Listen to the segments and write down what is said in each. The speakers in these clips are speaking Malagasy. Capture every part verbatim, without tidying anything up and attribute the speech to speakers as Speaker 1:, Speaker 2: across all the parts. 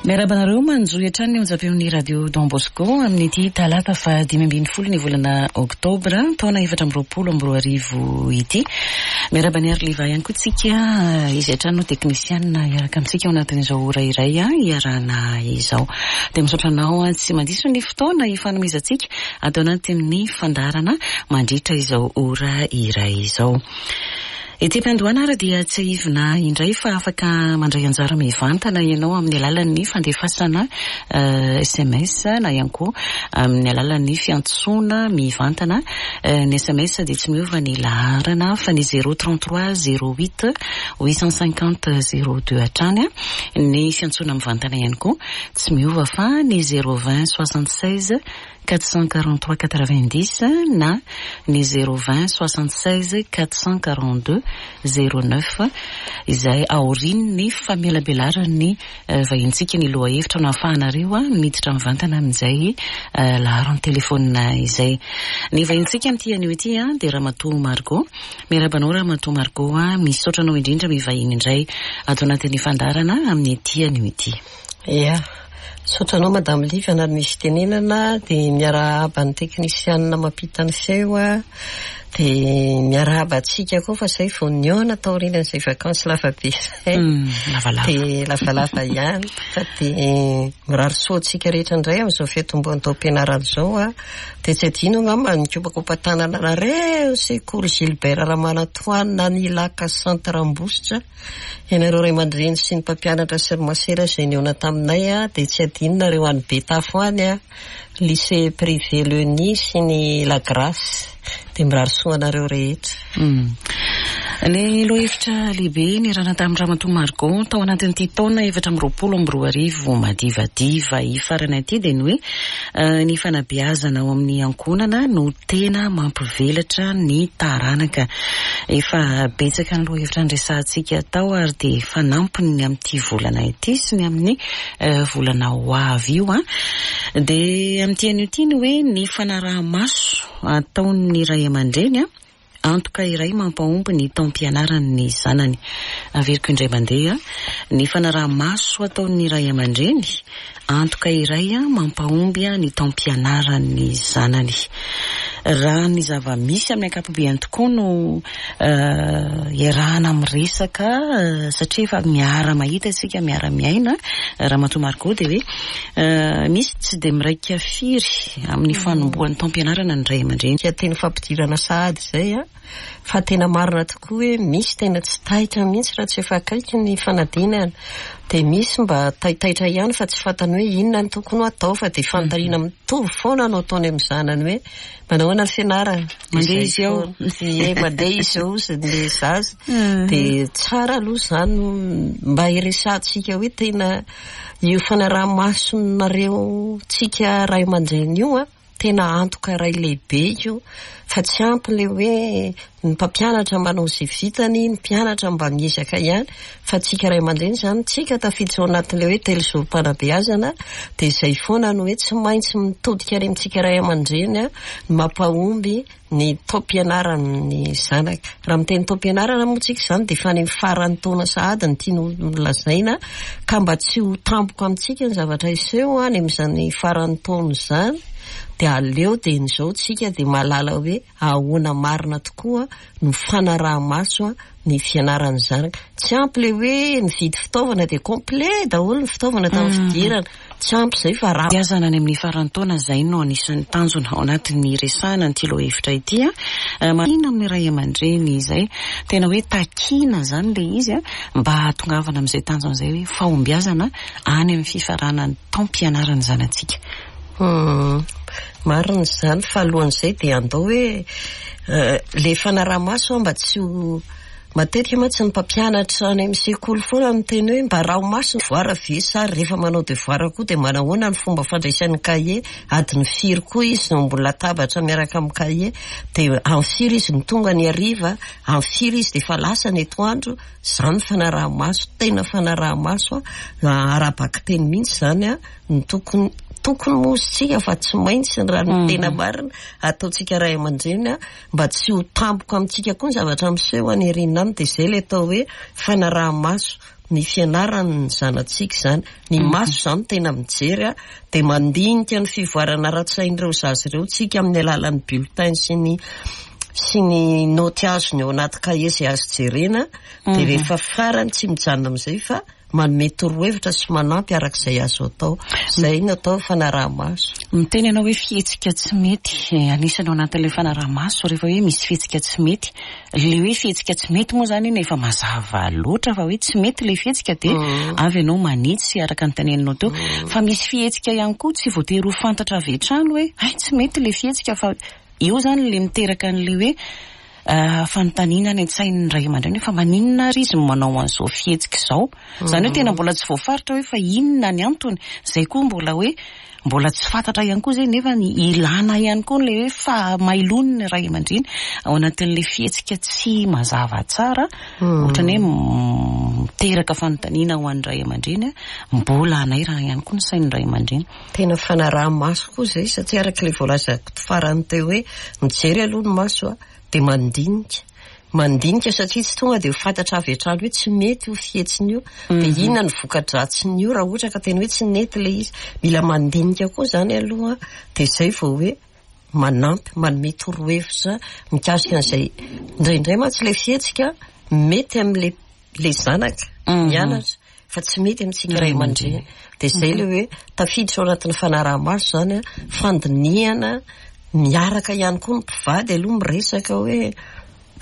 Speaker 1: Miarahaba anareo manjohy hatrany ny onjam-peon'ny Radio Don Bosco amin'ity talata fa dimy ambin'ny folo ny volana oktobra taona efatra amby roapolo amby roa arivo ity. Miarahaba ny Arliva ihany koa tsika, izy hatrany no teknisianina hiaraka amintsika ao anatin'izao ora iray hiarahana izao. Dia misaotra anao tsy mandiso ny fotoana hifanomezantsika ato anatin'ny fandaharana mandritra izao ora iray izao. Ety am-piandohana ary dia tsiahivina indray fa afaka mandray anjara mivantana ianao amin'ny alalan'ny fandefasana S M S na ihany koa amin'ny alalan'ny fiantsoana mivantana. Ny S M S dia tsy miova ny laharana fa ny zéro trente-trois zéro huit huit cent cinquante zéro deux hatrany. Ny fiantsoana mivantana ihany koa tsy miova fa ny zéro vingt soixante-seize quatre cent quarante-trois quatre-vingt-dix na ny zéro vingt soixante-seize quatre cent quarante-deux zéro neuf, izay aorian'ny famelabelaran'ny vahintsika ny lohahevitra no ahafahanareo a miditra mivantana amin'izay laharan'ny telefônina izay. Ny vahintsika amin'ity anio ity a dia Ramatoa Margot. Miarahaba anao, Ramatoa Margot, a misaotra anao indrindra mivahiny indray ato anatin'ny fandaharana amin'ity anio ity.
Speaker 2: Ia, misaotra anao, Madame Livy, anary misy fitenenana, dia miarahaba ny teknisianina mampita ny feo a dia miarahaba antsika koa fa zay vao nihaona taorian'izay vakansy lavabe zay.
Speaker 1: Lavalava.
Speaker 2: Dia lavalava ihany fa dia mirary soa antsika rehetra indray amin'izao fiatombohan'ny taom-pianarana izao a dia tsy adino angamba nikopakopa-tanana anareo sekoly Gilbert Ramanantoanina ny Ilaka Centre Ambositra, ianareo ray aman-dreny sy ny mpampianatra sy ny masera izay nihaona taminay a dia tsy adino nareo any Betafo any a lycée privé Le Nid sy ny La Grâce, dia mirary soa anareo rehetra.
Speaker 1: Ny lohahevitra lehibe niarahana tamin'ny Ramatoa Margot tao anatin'ity taona efatra amby roapolo amby roa arivo madivadiva hifarana ity dia ny hoe ny fanabeazana ao amin'ny ankohonana no tena mampivelatra ny taranaka. Efa betsaka ny lohahevitra noresahantsika tao ary dia fanampiny amin'ity volana ity sy ny amin'ny volana ho avy io a dia amin'ity anio ity ny hoe ny fanaraha-maso ataon'ny ray aman-dreny a antoka iray mampahomby ny taom-pianaran'ny zanany. Averiko indray mandeha: ny fanaraha-maso ataon'ny ray aman-dreny, antoka iray a mampahomby a ny taom-pianaran'ny zanany. Raha ny zava-misy amin'ny ankapobeany tokoa no iarahana miresaka, satria efa miara-mahita isika, miara-miaina, Ramatoa Margot, dia hoe misy tsy dia miraika firy amin'ny fanombohan'ny taom-pianarana ny ray aman-dreny.
Speaker 2: Teny fampidirana sahady izay a fa tena marina tokoa hoe misy tena tsy taitra mihitsy raha tsy efa akaiky ny fanadinana, dia misy mba taitaitra ihany fa tsy fantany hoe inona ny tokony ho atao, fa dia fanontaniana mitovy foana no ataony amin'ny zanany hoe: "Manao ahoana ny fianarana?"
Speaker 1: "Mandeha izy ao?"
Speaker 2: Ie, "Mandeha izy ao" izy le zaza. Dia tsara aloha izany mba iresahantsika hoe tena io fanaraha-masonareo tsika ray aman-dreny io a tena antoka iray lehibe io, fa tsy ampy le hoe ny mpampianatra manao izay vitany, ny mpianatra mba miezaka ihany, fa tsika ray aman-dreny zany tsika tafiditra ao anatin'le hoe telo zorom-panabeazana, dia izay foana no hoe tsy maintsy mitodika any amintsika ray aman-dreny a ny mampahomby ny taom-pianaran'ny zanaka. Raha miteny taom-pianarana moa tsika izany dia efa any amin'ny faran'ny taona sahady ny tiana ho lazaina, ka mba tsy ho tampoka amintsika ny zavatra hiseho any amin'izany faran'ny taona izany, dia aleo dia n'izao tsika dia mahalala hoe ahoana marina tokoa no fanaraha-maso a ny fianaran'ny zanaka. Tsy ampy le hoe nividy fitaovana dia complet daholo ny fitaovana tamin'ny fidirana, tsy ampy izay fa raha
Speaker 1: Beazana any amin'ny faran'ny taona izay no anisan'ny tanjona ao anatin'ny resahana an'ity lohahevitra ity a marina amin'ny ray aman-dreny izay tena hoe takina zany le izy a mba hahatongavana amin'izay tanjona izay hoe fahombiazana any amin'ny fifaranan'ny taom-pianaran'ny zanatsika.
Speaker 2: Marina izany, fa alohan'izay dia andao hoe le fanaraha-maso mba tsy ho matetika mantsy ny mpampianatra any amin'ny sekoly foana no teny hoe mba araho maso devoir ve, sa rehefa manao devoir koa dia manahoana ny fomba fandraisan'ny kahie, adiny firy koa izy no ambony latabatra miaraka amin'ny kahie, dia amin'ny firy izy no tonga ny hariva, amin'ny firy izy dia efa lasa ny atoandro. Zany fanaraha-maso, tena fanaraha-maso a ara-bakiteny mihitsy zany a ny tokony tokony moa isika, fa tsy maintsy raha ny tena marina ataontsika ray aman-dreny a mba tsy ho tampoka amintsika koa ny zavatra miseho any aoriana any. Dia izay le atao hoe fanaraha-maso. ny fianarany ny zanatsika izany. Ny maso izany tena mijery a, dia mandinika ny fivoarana ara-tsain'ireo zaza ireo tsika amin'ny alalan'ny bulletin sy ny sy ny noty azony ao anaty kahie izay azo jerena. Dia rehefa farany tsy mijanona amin'izay fa manome torohevitra sy manampy arak'izay azo atao. Izay no atao fanaraha-maso.
Speaker 1: Miteny ianao hoe fihetsika tsy mety, anisany ao anatin'ilay fanaraha-maso rehefa hoe misy fihetsika tsy mety. Le hoe fihetsika tsy mety moa zany iny efa mazava loatra fa hoe tsy mety ilay fihetsika, dia avy ianao manitsy araka ny teneninao teo. Fa misy fihetsika ihany koa tsy voatery ho fantatra avy hatrany hoe ay tsy mety ilay fihetsika, fa eo zany le miteraka an'ilay hoe fanontaniana any an-tsain'ny ray aman-dreny hoe fa maninona ary izy manao an'izao fihetsika izao. Izany hoe tena mbola tsy voafaritra hoe fa inona ny antony. Izay koa mbola hoe mbola tsy fantatra ihany koa izay, nefa ny ilana ihany koa ilay hoe fahamailony ny ray aman-dreny ao anatin'ilay fihetsika tsy mazava tsara, ohatrany hoe miteraka fanontaniana ho an'ny ray aman-dreny, mbola hanairana ihany koa ny sain'ny ray aman-dreny.
Speaker 2: Tena fanaraha-maso koa izay, satria araka ilay voalazako farany teo hoe mijery aloha ny maso a, dia mandinika. Mandinika satria tsy tonga dia ho fantatra avy hatrany hoe tsy mety io fihetsiny io, dia inona ny voka-dratsiny io raha ohatra ka tena hoe tsy nety ilay izy. Mila mandinika koa izany aloha, dia izay vao hoe manampy, manome torohevitra mikasika an'izay. Indraindray mantsy ilay fihetsika mety amin'ilay ilay zanaka mianatra fa tsy mety amintsika ray aman-dreny. Dia izay ilay hoe tafiditra ao anatin'ny fanaraha-maso izany, fandinihana miaraka ihany koa ny mpivady aloha miresaka hoe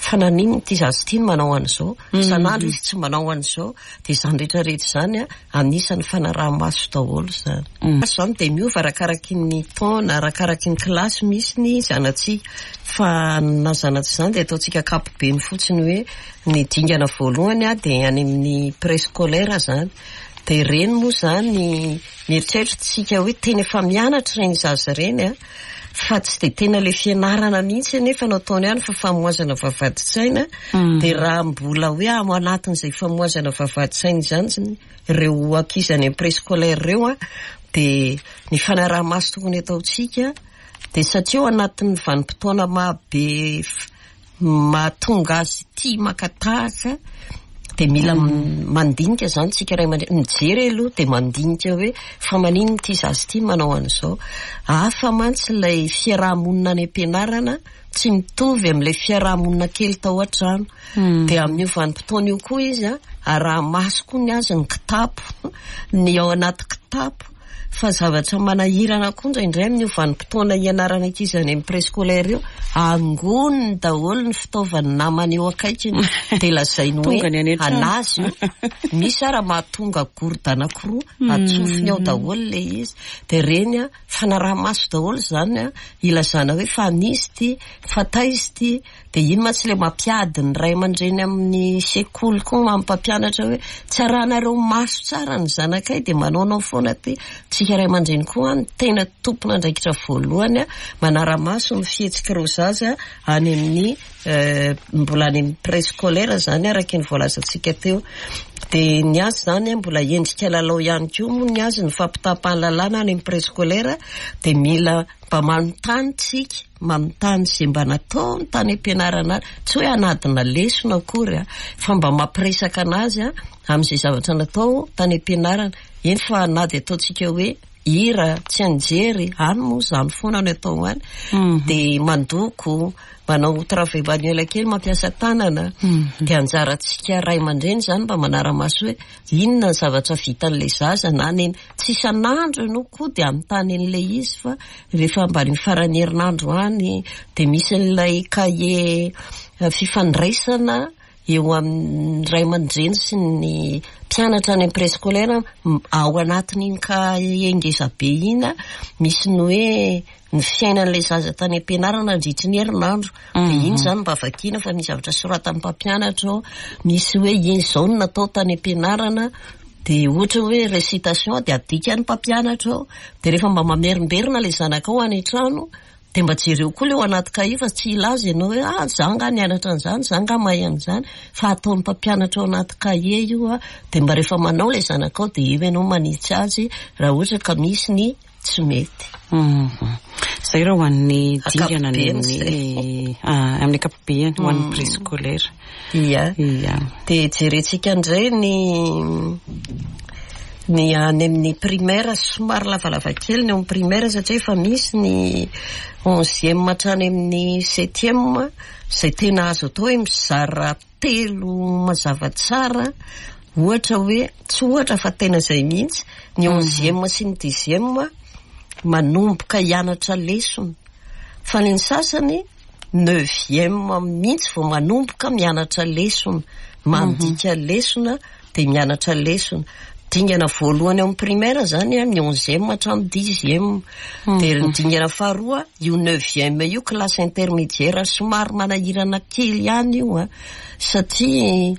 Speaker 2: fa naninona ity zaza ity no manao an'izao, isan'andro izy tsy manao an'izao. Dia izany rehetrarehetra izany a, anisan'ny fanaraha-maso daholo izany. Izany dia miova arakaraky ny taona, arakaraky ny kilasy misy ny zanatsika. Fa na zanatsika izany dia ataontsika ankapobeny fotsiny hoe ny dingana voalohany a dia any amin'ny préscolaire izany. Dia ireny moa izany mieritreritra tsika hoe tena efa mianatra ireny zaza ireny a, fa tsy dia tena ilay fianarana mihitsy anefa no ataony ihany fa famoazana vavahadin-tsaina. Dia raha mbola hoe ao anatin'izay famoazana vavahadin-tsaina izany ireo ankizy any amin'ny préscolaire ireo a, dia ny fanaraha-maso tokony ataontsika dia satria ao anatin'ny vanim-potoana mahabe mahatonga azy tia maka tahaka, dia mila mandinika izany tsika ray aman-dreny, mijery aloha dia mandinika hoe fa maninona ity zaza ity manao an'izao. Hafa mantsy ilay fiaraha-monina any am-pianarana, tsy mitovy amin'ilay fiaraha-monina kely tao an-trano. Dia amin'io vanim-potoana io koa izy a, araha-maso koa ny azy ny kitapo, ny ao anaty kitapo. Fa zavatra manahirana koa indraindray amin'io vanim-potoana hianarana ankizy any amin'ny préscolaire io, angoniny daholo ny fitaovan'ny namany eo akaikiny, dia lazainy hoe anazy io. Misy ara mahatonga gourde anankiroa atsofony ao daholo ilay izy. Dia ireny a, fanaraha-maso daholo izany a, ilazana hoe fa nisy ity, fa taiza ity. Dia iny mantsy ilay mampiady ny ray aman-dreny amin'ny sekoly koa, mampampianatra hoe tsy arahanareo maso tsara ny zanakay dia manaonao foana ity. Tsika ray aman-dreny koa ny tena tompon'andraikitra voalohany a, manara-maso ny fihetsik'ireo zaza any amin'ny mbola any amin'ny préscolaire izany araka ny voalazantsika teo. Dia ny azy izany mbola endrika lalao ihany koa moa ny azy ny fampitaham-pahalalana any amin'ny préscolaire, dia mila mba manontany tsika, manontany izay mba nataony tany am-pianarana, tsy hoe hanadina lesona akory a, fa mba mampiresaka anazy a amin'izay zavatra natao tany am-pianarana. Eny fa na dia ataontsika hoe hira, tsy anjery, any moa izany foana no atao any. Dia mandoko, manao travail manuel kely, mampiasa tanana. Dia anjarantsika ray aman-dreny izany mba manara-maso hoe inona ny zavatra vitan'ilay zaza na ny tsy isan'andro ianao koa dia anontany an'ilay izy, fa rehefa mba ny faran'ny herinandro any dia misy an'ilay kahie fifandraisana eo amin'ny ray aman-dreny sy ny mpianatra any amin'ny préscolaire. Ao anatin'iny kahie ngeza be iny misy ny hoe ny fiainan'ilay zaza tany am-pianarana nandritry ny herinandro. Dia iny izany mba vakiana fa misy zavatra soratan'ny mpampianatra ao, misy hoe iny izao no natao tany am-pianarana, dia ohatra hoe récitation dia adikan'ny mpampianatra ao. Dia rehefa mba mamerimberina ilay zanakao any an-trano dia mba jereo koa ilay ao anaty kahie fa tsy hilaza ianao hoe ah za nga nianatra an'izany, za nga mahay an'izany, fa ataon'ny mpampianatra ao anaty kahie io a. Dia mba rehefa manao ilay zanakao dia eo ianao manitsy azy raha ohatra ka misy ny tsy mety.
Speaker 1: Zay raha ho an'ny dingana ny amin'ny amin'ny ankapobeny, ho an'ny préscolaire.
Speaker 2: Ia.
Speaker 1: Ia.
Speaker 2: De jerentsika indray ny ny any amin'ny primaire. Somary lavalava kely ny eo amin'ny primaire satria efa misy ny onzième hatrany amin'ny septième, zay tena azo atao hoe mizara telo mazava tsara. Ohatra hoe, tsy ohatra fa tena zay mihitsy, ny onzième sy ny dixième manomboka hianatra lesona, fa ny ny sasany neuvième mihitsy vao manomboka mianatra lesona, mandika lesona de mianatra lesona. Dingana voalohany eo amin'ny primaire zany a, ny onzième hatramin'ny dixième. De ny dingana faharoa io neuvième io, classe intermédiaire, somary manahirana kely ihany io a, satria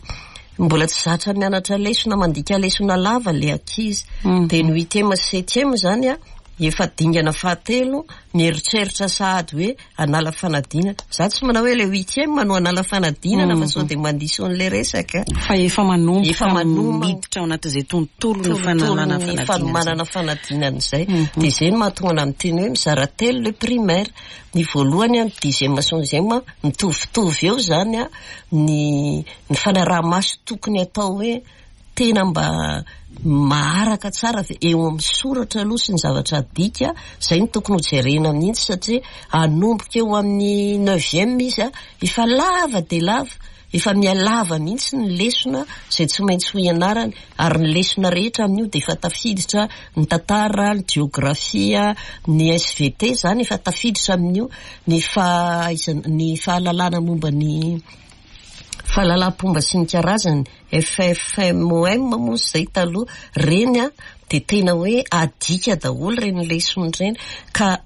Speaker 2: mbola tsy zatra mianatra lesona, mandika lesona lava le ankizy. De ny huitième sy septième zany a, efa dingana fahatelo, mieritreritra sahady hoe anala fanadinana. Za tsy manao hoe le huitième no anala fanadinana, fa sao de mandiso an'le resaka.
Speaker 1: Fa efa manomboka
Speaker 2: Efa manomboka.
Speaker 1: Miditra ao anatin'izay tontolo ny fanalana
Speaker 2: ny
Speaker 1: fanadinana.
Speaker 2: Fanomanana fanadinana zay. De zay no mahatonga ana miteny hoe mizara telo le primaire. Ny voalohany a, ny dixième sy onzième, mitovitovy eo zany a ny ny fanaraha-maso tokony atao hoe tena mba maharaka tsara ve eo amin'ny soratra aloha sy ny zavatra adika. Zay no tokony ho jerena mihitsy, satria anomboka eo amin'ny neuvième izy a, efa lava de lava, efa mialava mihitsy ny lesona zay tsy maintsy ho ianarany. Ary ny lesona rehetra amin'io de efa tafiditra ny tantara, ny geografia, ny S V T zany efa tafiditra amin'io, ny fahaizana, ny fahalalana momba ny fahalalam-pomba sy ny karazany, F F M O M moa zay taloha reny a, de tena hoe adika daholo reny lesona reny. Ka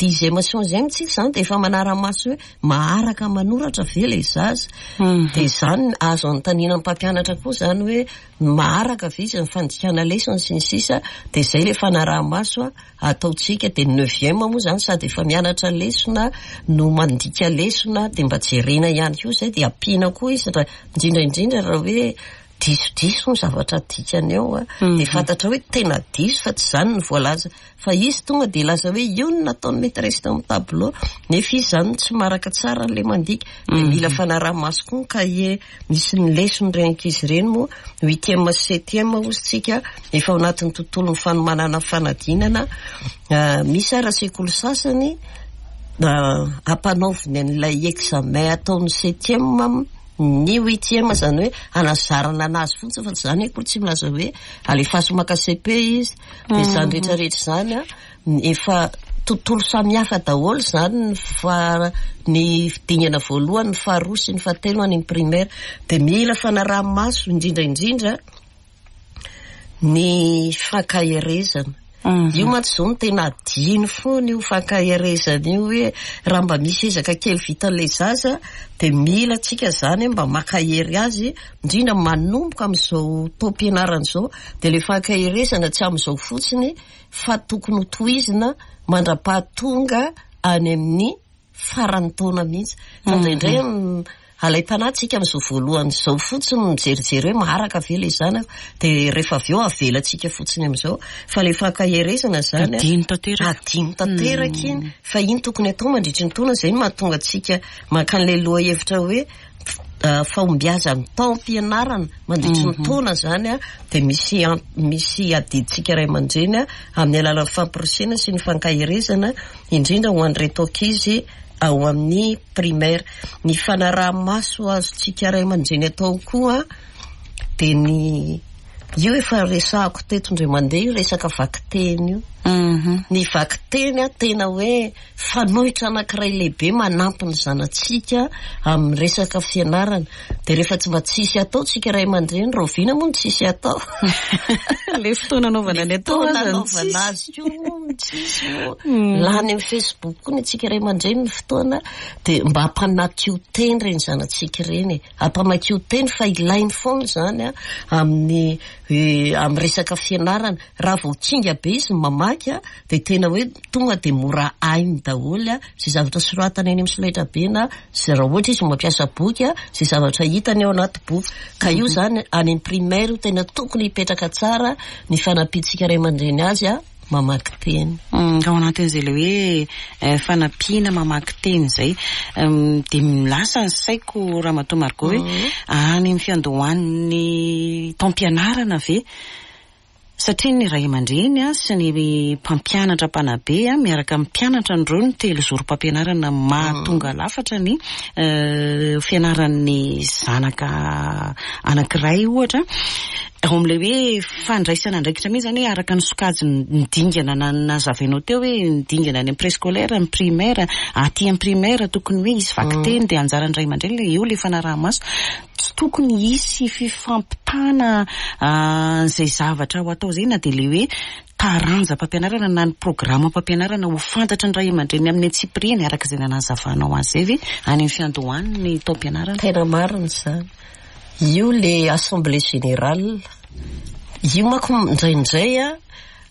Speaker 2: dixième sy onzième tsika zany de efa manara-maso hoe maharaka manoratra ve le zaza. De zany azo anontaniana ny mpampianatra koa zany hoe maharaka ve izy ny fandikana lesona sy ny sisa. De zay le fanaraha-maso a ataontsika. De neuvième moa zany sady efa mianatra lesona no mandika lesona, de mba jerena ihany koa zay, de ampiana koa izy raha indrindra indrindra raha hoe disodiso ny zavatra adikany eo a, de fantatra hoe tena diso fa tsy zany ny voalaza, fa izy tonga de laza hoe io no nataon'ny maîtresse teo amin'ny tableau, nefa izy zany tsy maharaka tsara an'le mandika. De mila fanaraha-maso koa ny cahier misy ny lesona reny ankizy ireny. Moa huitième sy septième ozy tsika efa ao anatin'ny tontolo ny fanomanana fanadinana. Misy ara sekoly sasany ampanaoviny an'ilay examen ataon'ny septième ny huitième, zany hoe anazarana anazy fotsiny, fa tsy zany hoe koa tsy milaza hoe alefaso maka C P izy. De zany rehetrarehetra zany a, efa tontolo samihafa daholo zany ny fa ny dingana voalohany, ny faharoa sy ny fahatelo any amin'ny primaire. De mila fanaraha-maso indrindra indrindra ny fankaherezana io mantsy zao no tena adino foana io fankaherezana io, hoe raha mba misy ezaka kely vitan'ilay zaza de mila tsika zany mba makahery azy, indrindra manomboka amin'izao taom-pianarana izao. De le fankaherezana tsy amin'izao fotsiny fa tokony ho tohizina mandra-pahatonga any amin'ny faran'ny taona mihitsy. Fa indraindray alaim-panahy tsika amin'izao voalohany izao fotsiny mijerijery hoe maharaka ve le zanaka, de rehefa avy eo avelatsika fotsiny amin'izao. Fa le fankaherezana zany
Speaker 1: Adino tanteraka.
Speaker 2: Adino tanteraka iny, fa iny tokony atao mandritry ny taona. Zay no mahatonga atsika mankany le loha hevitra hoe fahombiazan'ny taom-pianarana mandritry ny taona zany a, de misy misy adidintsika ray aman-dreny a amin'ny alalan'ny fampirisihana sy ny fankaherezana, indrindra ho an'ireto ankizy ao amin'ny primaire. Ny fanaraha-maso azontsika ray aman-dreny atao koa de ny io efa resahako teto indray mandeha io, resaka vakiteny io. Ny vakiteny a, tena hoe fanoitra anankiray lehibe manampy ny zanatsika amin'ny resaka fianarana. De rehefa tsy mba tsisy atao tsika ray aman-dreny, rahoviana moa no tsisy atao?
Speaker 1: Le fotoana anaovana ny atao
Speaker 2: Fotoana
Speaker 1: aza no
Speaker 2: anaovana
Speaker 1: tsisy.
Speaker 2: Azy koa tsisy moa. Lany amin'ny Facebook koa ny antsika ray aman-dreny ny fotoana. De mba ampamakio teny reny zanatsika ireny e, ampamakio teny fa ilainy foana zany a amin'ny eh, amin'ny resaka fianarana. Raha vao kinga be izy mamaky a, de tena hoe tonga de mora hainy daholo a zay zavatra soratana eny amin'ny solaitra be, na zay raha ohatra izy mampiasa boky a, zay zavatra hitany ao anaty boky. Ka io zany any amin'ny primaire io tena tokony hipetraka tsara ny fanampiantsika ray aman-dreny azy a. mamaky teny.
Speaker 1: Ao anatin'izay le hoe fanampiana mamaky teny izay, dia lasa ny saiko, Ramatoa Margot, hoe any amin'ny fiandohan'ny taom-pianarana ve? Satria ny ray aman-dreny a sy ny mpampianatra mpanabe a miaraka amin'ny mpianatra an'ireo ny telo zorom-pampianarana mahatonga lafatra ny fianaran'ny zanaka anankiray ohatra. Ao amin'ilay hoe fandraisana andraikitra mihitsy zany, hoe araka ny sokajy ny dingana nazavainao teo, hoe ny dingana any amin'ny préscolaire, ny primaire, aty amin'ny primaire tokony hoe hisy vakiteny, dia anjaran'ny ray aman-dreny le eo le fanaraha-maso. Tsy tokony hisy fifampitana izay zavatra ho atao zay, na dia le hoe taranja-pampianarana na ny programme-pampianarana ho fantatry ny ray aman-dreny amin'ny antsipiriany araka izay nanazavanao azy zay ve any amin'ny fiandohan'ny taom-pianarana?
Speaker 2: Tena marina izany. Io le assemblée générale io manko indraindray a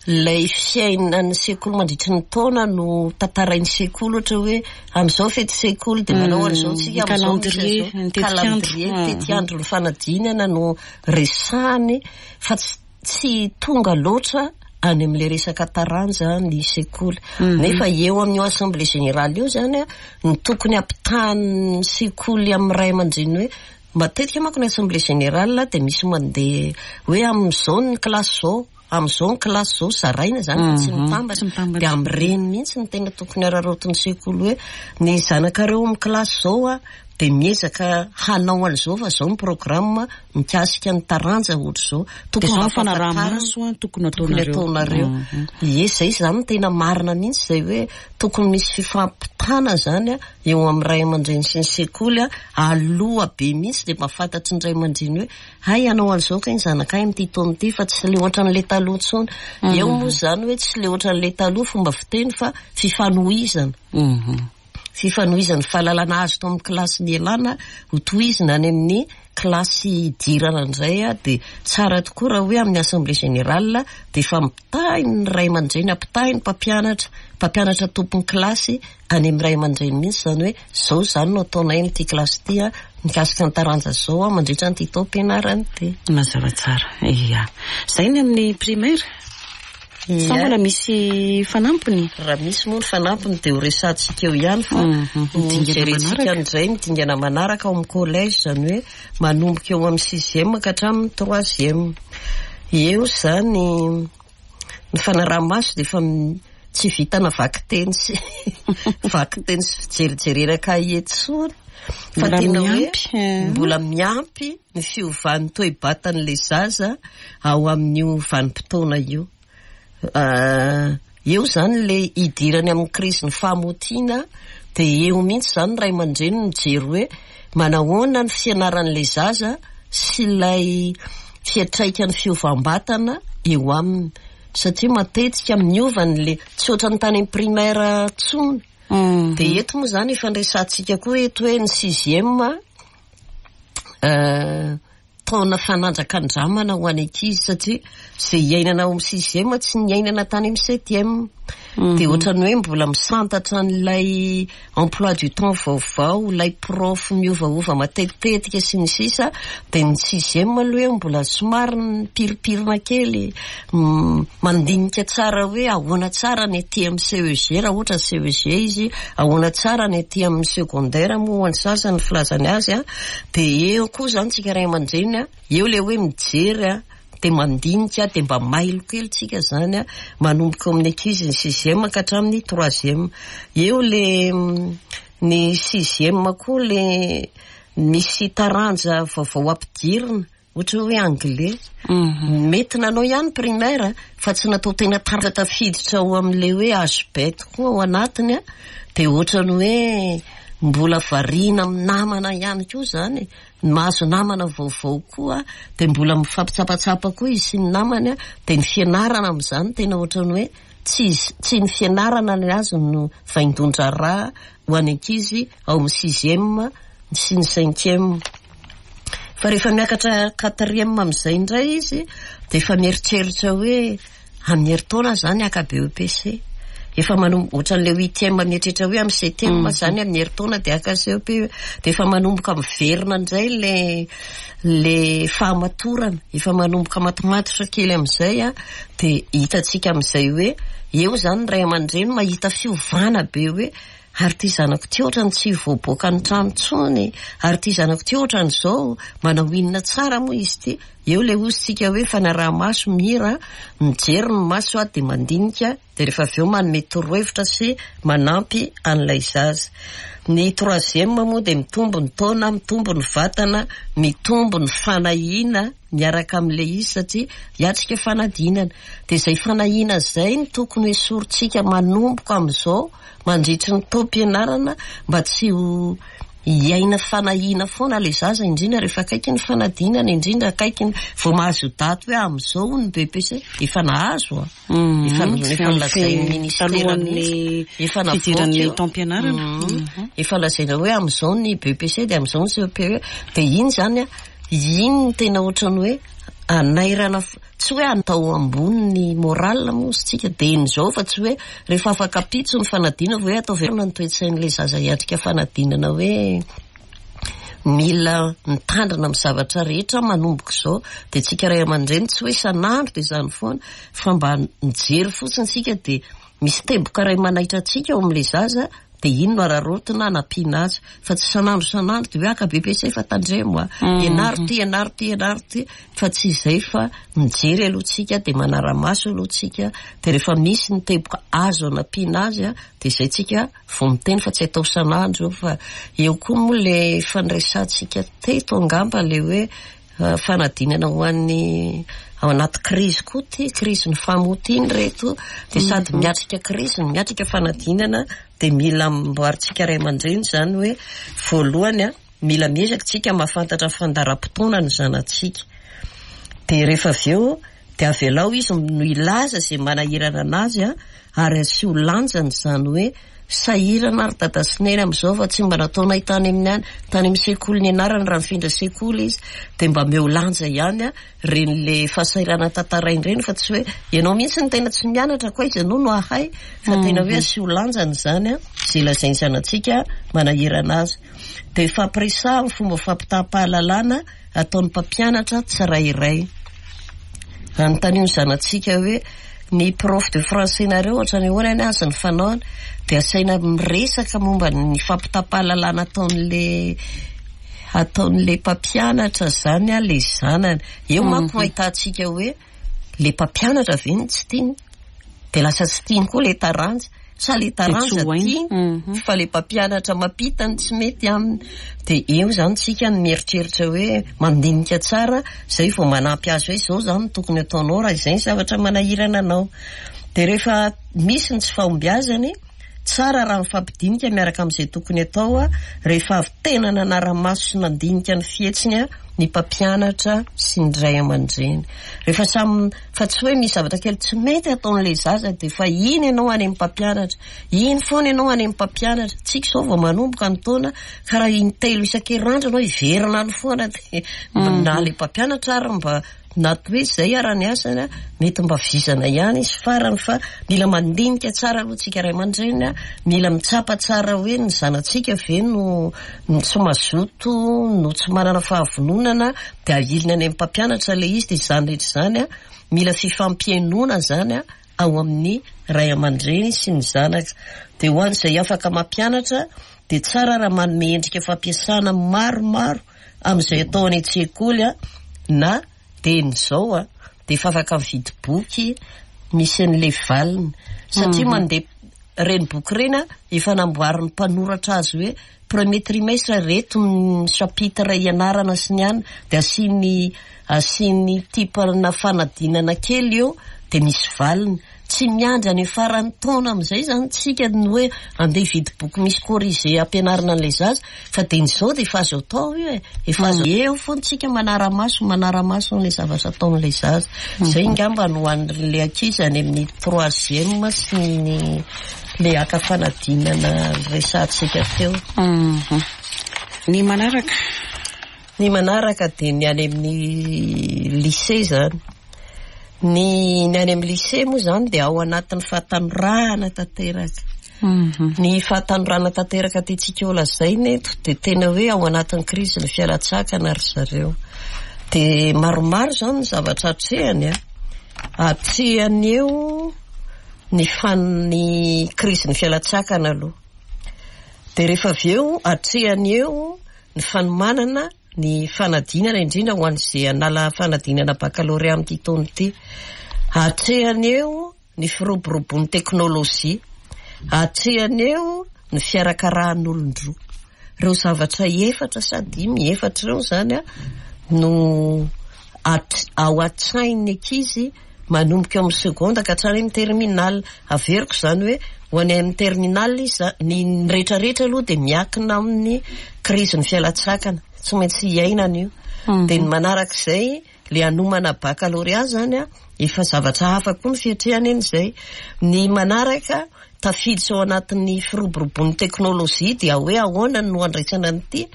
Speaker 2: lay fiainan'ny sekoly mandritry ny taona no tantarain'ny sekoly, ohatra hoe amin'izao fety sekoly dia manao an'izao tsika, amin'izao misy an'izao, calendrier, tetiandro ny fanadinana no resahany, fa tsy tsy tonga loatra any amin'le resaka taranja ny sekoly. Nefa eo amin'io assemblée générale io zany a ny tokony ampitahan'ny sekoly amin'ny ray aman-dreny, hoe matetika manko ny assemblée générale dia misy mandeha hoe amin'izao ny kilasy zao, amin'izao ny kilasy zao, zaraina zany fa tsy mitambatra. Dia amin'ireny mihitsy ny tena tokony araraotin'ny sekoly, hoe ny zanakareo amin'ny kilasy zao a dia miezaka hanao an'izao, fa zao ny programme mikasika ny taranja ohatra zao.
Speaker 1: Tokony mba fanaraha-maso a tokony
Speaker 2: ataonareo ataonareo Ie, zay zany tena marina mihitsy zay, hoe tokony misy fifampitana zany a eo amin'ny ray aman-dreny sy ny sekoly a aloha be mihitsy, dia mba fantatry ny ray aman-dreny hoe hay hanao an'izao kay ny zanakay amin'ity taona ity, fa tsy le ohatran'le taloha intsony. Eo moa zany hoe tsy le ohatran'le taloha fomba fiteny, fa fifanohizana fifanohizany fahalalana azo tao amin'ny kilasy nialana ho tohizina any amin'ny kilasy hidirana indray a dia tsara tokoa raha hoe amin'ny assemblée générale dia efa ampitahin'ny ray aman-dreny, ampitahin'ny mpampianatra mpampianatra tompon'ny kilasy any amin'ny ray aman-dreny mihitsy zany, hoe zao zany no ataonay amin'ity kilasy ity a mikasika ny taranja zao a mandritra nyity taom-pianarana ity.
Speaker 1: Mazava tsara. Ia, zay ny amin'ny primaire. Sa mbola misy fanampiny?
Speaker 2: Raha misy moa ny fanampiny dia ho resantsika eo ihany, fa jerentsika indray ny dingana manaraka ao amin'ny collège, zany hoe manomboka eo amin'ny sixième ka hatramin'ny troisième. Eo zany ny fanaraha-maso dia efa tsy vitana vakiteny sy vakiteny sy fijerijerena kahie tsony, fa tena hoe mbola miampy ny fiovan'ny toe-batan'le zaza ao amin'io vanim-potoana io. Eo zany le idirany amin'ny crise ny fahamotiana, dia eo mihitsy zany ray aman-dreny mijery hoe manahoana ny fianaran'le zaza sy ilay fiatraikan'ny fiovam-batana eo aminy, satria matetika miovany le tsy ohatran'ny tany amin'ny primaire tsony. Dia eto moa zany efa nresantsika koa eto hoe ny sixième taona fanandrakandramana ho an'ny ankizy, satria zay iainana ao amin'ny sixième tsy niainana tany amin'ny septième, dia ohatran'ny hoe mbola misantatra an'ilay emploi du temps vaovao, ilay prof miovaova matetitetika sy ny sisa. Dia ny sixième aloha hoe mbola somary mipiripirina kely, mandinika tsara hoe ahoana tsara ny aty amin'ny C E G raha ohatra C E G izy, ahoana tsara ny aty amin'ny secondaire moa ho an'ny sasany ny filazany azy a dia eo koa zany tsika ray aman-dreny a eo le hoe mijery a dia mandinika, dia mba mailo kely tsika zany a manomboka eo amin'ny ankizy ny sixième ka hatramin'ny troisième. Eo le ny sixième koa le misy taranja vaovao ampidirina, ohatra hoe anglais. Mety nanao ihany primaire fa tsy natao tena taranja tafiditra ao amin'le hoe H B koa ao anatiny a dia ohatrany hoe mbola variana amin'ny namana ihany koa zany, mahazo namana vaovao koa, dia mbola mifampitsapatsapa koa izy sy ny namany a dia ny fianarana amin'izany tena ohatrany hoe tsy tsy ny fianarana ny azy no vaindohan-draharaha ho an'ny ankizy ao amin'ny sixième sy ny cinquième. Fa rehefa miakatra quatrième amin'izay indray izy dia efa mieritreritra hoe amin'ny herintaona zany haka B E P C. Efa manomboka ohatran'le huitième mieritreritra hoe amin'ny septième zany, amin'ny herintaona de haka C E P, de efa manomboka miverina indray le le fahamatorana, efa manomboka matomatotra kely amin'izay a. De hitantsika amin'izay hoe eo zany ny ray aman-dreny mahita fiovana be hoe ary ty zanako ty ohatrany tsy voaboaka ny trano tsony, ary ty zanako ty ohatran'izao, manao inona tsara moa izy ty. Eo le ozy-tsika hoe fanaraha-maso mira, mijery ny maso a, de mandinika, de rehefa avy eo manome torohevitra sy manampy an'ilay zaza. Ny troisième moa de mitombo ny taona, mitombo ny vatana, mitombo ny fanahiana miaraka amin'le izy satria hiatrika fanadinana. De zay fanahiana zay ny tokony hoesorintsika manomboka amin'izao mandritry ny taom-pianarana, mba tsy ho hiaina fanahiana foana le zaza, indrindra rehefa akaiky ny fanadinana, indrindra akaiky ny vao mahazo daty hoe amin'izao ny B E P C. Efa nahazo a, efa efa nolazain'ny ministera mihitsy, efa
Speaker 1: fidiran'ny
Speaker 2: navoaka
Speaker 1: taom-pianarana.
Speaker 2: Mhm. Efa lazaina hoe amin'izao ny B E P C, de amin'izao ny C E P E. De iny zany a, iny ny tena ohatrany hoe anairana, f- tsy hoe atao ambony ny moral moa izy tsika de in'izao, fa tsy hoe rehefa afaka pitso ny fanadinana hoe atao verina ny toe-tsain'le zaza hiatrika fanadinana, hoe mila mitandrina amin'ny zavatra rehetra manomboka izao. De tsika ray aman-dreny tsy hoe isan'andro de izany foana, fa mba mijery fotsiny tsika, de misy teboka ray manaitra antsika eo amin'le zaza, de iny no araraotina anampiana azy, fa tsy isan'andro isan'andro de hoe aka B E P C fa tandremo a, ianaro ty, ianaro ty, ianaro ty, fa tsy izay, fa mijery aloha tsika, de manara-maso aloha tsika, de rehefa misy ny teboka azo anampiana azy a, de izay tsika vao miteny, fa tsy atao isan'andro io. Fa eo koa moa le fandraisantsika teto angamba le hoe uh, fanadinana ho an'ny ao anaty krizy koa ty, krizy ny famotiny reto, de sady miatrika krizy no miatrika fanadinana. De mila amboarintsika ray aman-dreny zany hoe voalohany a, mila miezaka tsika mahafantatra fandaharam-potoana ny zanatsika, de rehefa avy eo de avelao izy no ilaza zay manahirana anazy a, ary asio lanjany zany hoe sahirana ary dada sy neny amin'izao, fa tsy mba nataonay tany amin'ny any tany amin'ny sekoly ny anarany raha mifindra sekoly izy, de mba meo lanja ihany a reny le fahasahirana tantarainy reny, fa tsy hoe ianao mihitsy ny tena tsy mianatra koa izy ianao no ahay, fa tena hoe asio lanjany zany a zay lazainy zanatsika manahirana azy. De fampiresahana ny fomba fampitam-pahalalana ataon'ny mpampianatra tsirairay. Anontaniho ny zanatsika hoe ny prof de français nareo ohatrany ahoana ny azy ny fanaony, de asaina miresaka momba ny fampitam-pahalalana ataon'le ataon'le mpampianatra zany a le zanany. Eo manko ahitantsika hoe le mpampianatra ve ny tsy tiany, de lasa tsy tiany koa le taranja, sa le taranja tiany
Speaker 1: Mhm.
Speaker 2: fa le mpampianatra mampita ny tsy mety aminy. De eo zany tsika ny mieritreritra hoe mandinika tsara zay vao manampy azy hoe zao zany no tokony ataonao raha izay ny zavatra manahirana anao. De rehefa misy ny tsy fahombiazany, tsara raha mifampidinika miaraka amin'izay tokony atao a, rehefa avy tena nanara-maso sy nandinika ny fihetsiny a ny mpampianatra sy ny ray aman-dreny, rehefa samy, fa tsy hoe misy zavatra kely tsy mety ataon'le zaza de fa iny ianao any amin'ny mpampianatra, iny foana ianao any amin'ny mpampianatra. Tsika izao vao manomboka ny taona, ka raha intelo isan-kerinandro ianao hiverina any foana, de na le mpampianatra ary mba na hoe zay ara ny asany a, mety mba vizana ihany izy farany. Fa mila mandinika tsara aloha tsika ray aman-dreny a, mila mitsapa tsara hoe ny zanatsika ve no no tsy mazoto, no tsy manana fahavononana, de ahilina any amin'ny mpampianatra le izy. De izany rehetra izany a, mila fifampihainoana zany a ao amin'ny ray aman-dreny sy ny zanaka. De ho an'izay afaka mampianatra, de tsara raha manome endrika fampiasana maromaro amin'izay atao any an-tsekoly a, na de zao a, de efa afaka mividy boky misy an'le valiny, satria mandeha reny boky reny a, efa namboarin'ny mpanoratra azy hoe premier trimestre reto ny chapitre ianarana sy ny any, de asiany asiany type-na fanadinana kely eo, de misy valiny. Tsy miandry any faran'ny taona amin'izay zany tsika ny hoe andeha hividy boky misy corrigé ampianarina an'ilay zaza, fa de n'izao de efa azo atao io e, efa azo eo foana tsika manara-maso manara-maso an'ilay zavatra ataon'ilay zaza. Zay ngamba no an'le ankizy any amin'ny troisième sy ny le aka fanadinana resahantsika teo.
Speaker 1: Mhm. Ny manaraka?
Speaker 2: Ny manaraka de ny any amin'ny lycée zany. Ny ny any amin'ny lycée moa zany dia ao anatin'ny fahatanorana tanteraka. Ny fahatanorana tanteraka tiantsika ho lazaina eto dia tena hoe ao anatin'ny crise ny fialan-tsakana ry zareo. Dia maromaro zany ny zavatra atrehany a. Atrehany eo ny fan- ny crise ny fialan-tsakana aloha. Dia rehefa avy eo atrehany eo ny fanomanana ny fanadinana, indrindra ho an'izay hanala fanadinana baccalauréat amin'ity taona ity. Atrehany eo ny firoborobon'ny teknôlôjia. Atrehany eo ny fiarakarahan'olon-droa. Ireo zavatra efatra sa dimy, efatra ireo zany a no at- ao an-tsain'ny ankizy manomboka eo amin'ny seconde ka hatrany amin'ny terminale. Averiko zany hoe ho any amin'ny terminale izy, ny ny rehetrarehetra aloha dia miankina amin'ny crise ny fialan-tsakana, tsy maintsy iainana io. Dia ny manarak'izay le hanomana baccalauréat zany a, efa zavatra hafa koa ny fiatrehana eny izay. Ny manaraka tafiditra ao anatin'ny firoborobon'ny teknôlôjia dia hoe ahoana no andraisana an'ity.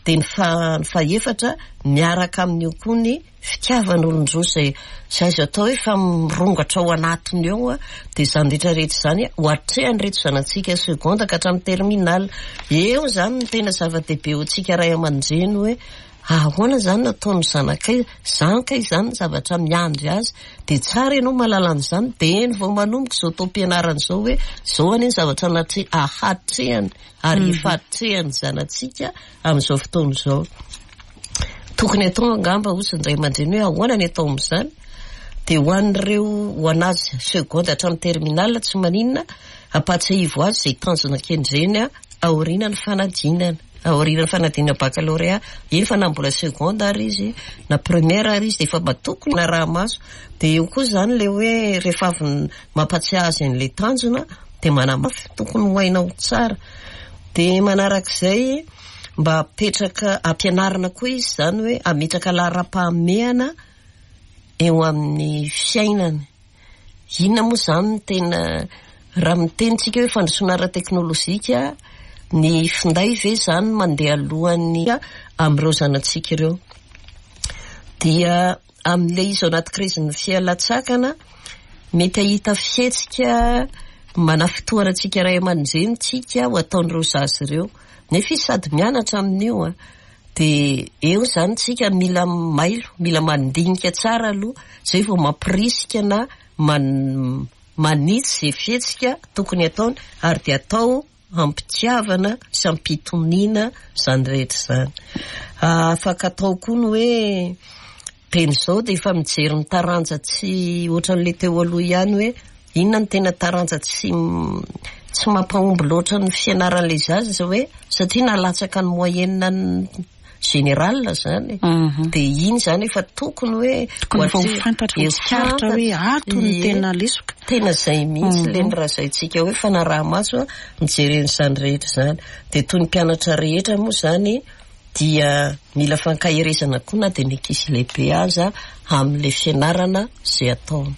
Speaker 2: Dia ny fa- ny fahefatra miaraka amin'io koa ny fitiavan'olon-droa izay izay azo atao hoe fa mirongatra ao anatiny eo a. Dia izany rehetrarehetra izany ho atrehan'ireto zanatsika seconde ka hatramin'ny terminale. Eo zany no tena zava-dehibe ho antsika ray aman-dreny hoe ahoana zany no ataon'ny zanakay, zany kay zany ny zavatra miandry azy. Dia tsara ianao mahalala an'izany dia eny vao manomboka izao taom-pianarana izao hoe izao anie ny zavatra natre- ahatrehany ary efa atrehan'ny zanatsika amin'izao fotoana izao. Tokony atao angamba ozy ny ray aman-dreny hoe ahoana ny atao amin'izany. Dia ho an'ireo ho anazy seconde hatramin'ny terminale tsy maninona, ampahatsiahivo azy izay tanjona kendreny aorian'ny fanadinana. Aorian'ny fanadinana baccalauréat, eny fa na mbola seconde ary izy na première ary izy dia efa mba tokony araha-maso. Dia eo koa zany le hoe rehefa avy mampatsiahy azy an'ilay tanjona dia manamafy, tokony ho hainao tsara. Dia manarak'izay mba apetraka ampianarina koa izy zany hoe ametraka laharam-pahamehana eo amin'ny fiainany. Inona moa zany no tena raha miteny tsika hoe fandrosoana ara-teknôlôjika, ny finday ve zany mandeha alohan'ny amin'ireo zanatsika ireo? Dia amin'ilay izy ao anaty crise ny fialan-tsakana mety hahita fihetsika manafintohana antsika ray aman-dreny tsika ho ataon'ireo zaza ireo. Nefa izy sady mianatra amin'io a. Dia eo zany tsika mila mailo, mila mandinika tsara aloha izay vao mampirisika na man- manitsy izay fihetsika tokony ataony, ary dia atao ampitiavana sy ampitoniana izany rehetra izany. Afaka atao koa ny hoe teny izao dia efa mijery ny taranja tsy ohatran'ilay teo aloha ihany hoe inona ny tena taranja tsy tsy mampahomby loatra ny fianaran'ilay zaza izao hoe satria nalatsaka ny moyenne général zany. Dia iny zany efa tokony hoe
Speaker 1: Tokony efa ho fantatra, ho tsikaritra hoe ato ny tena lesoka.
Speaker 2: Tena izay mihitsy le ny razaintsika hoe fanaraha-maso mijery an'izany rehetra izany. Dia toy ny mpianatra rehetra moa zany dia mila fankaherezana koa na dia ny ankizy lehibe aza amin'ilay fianarana izay ataony.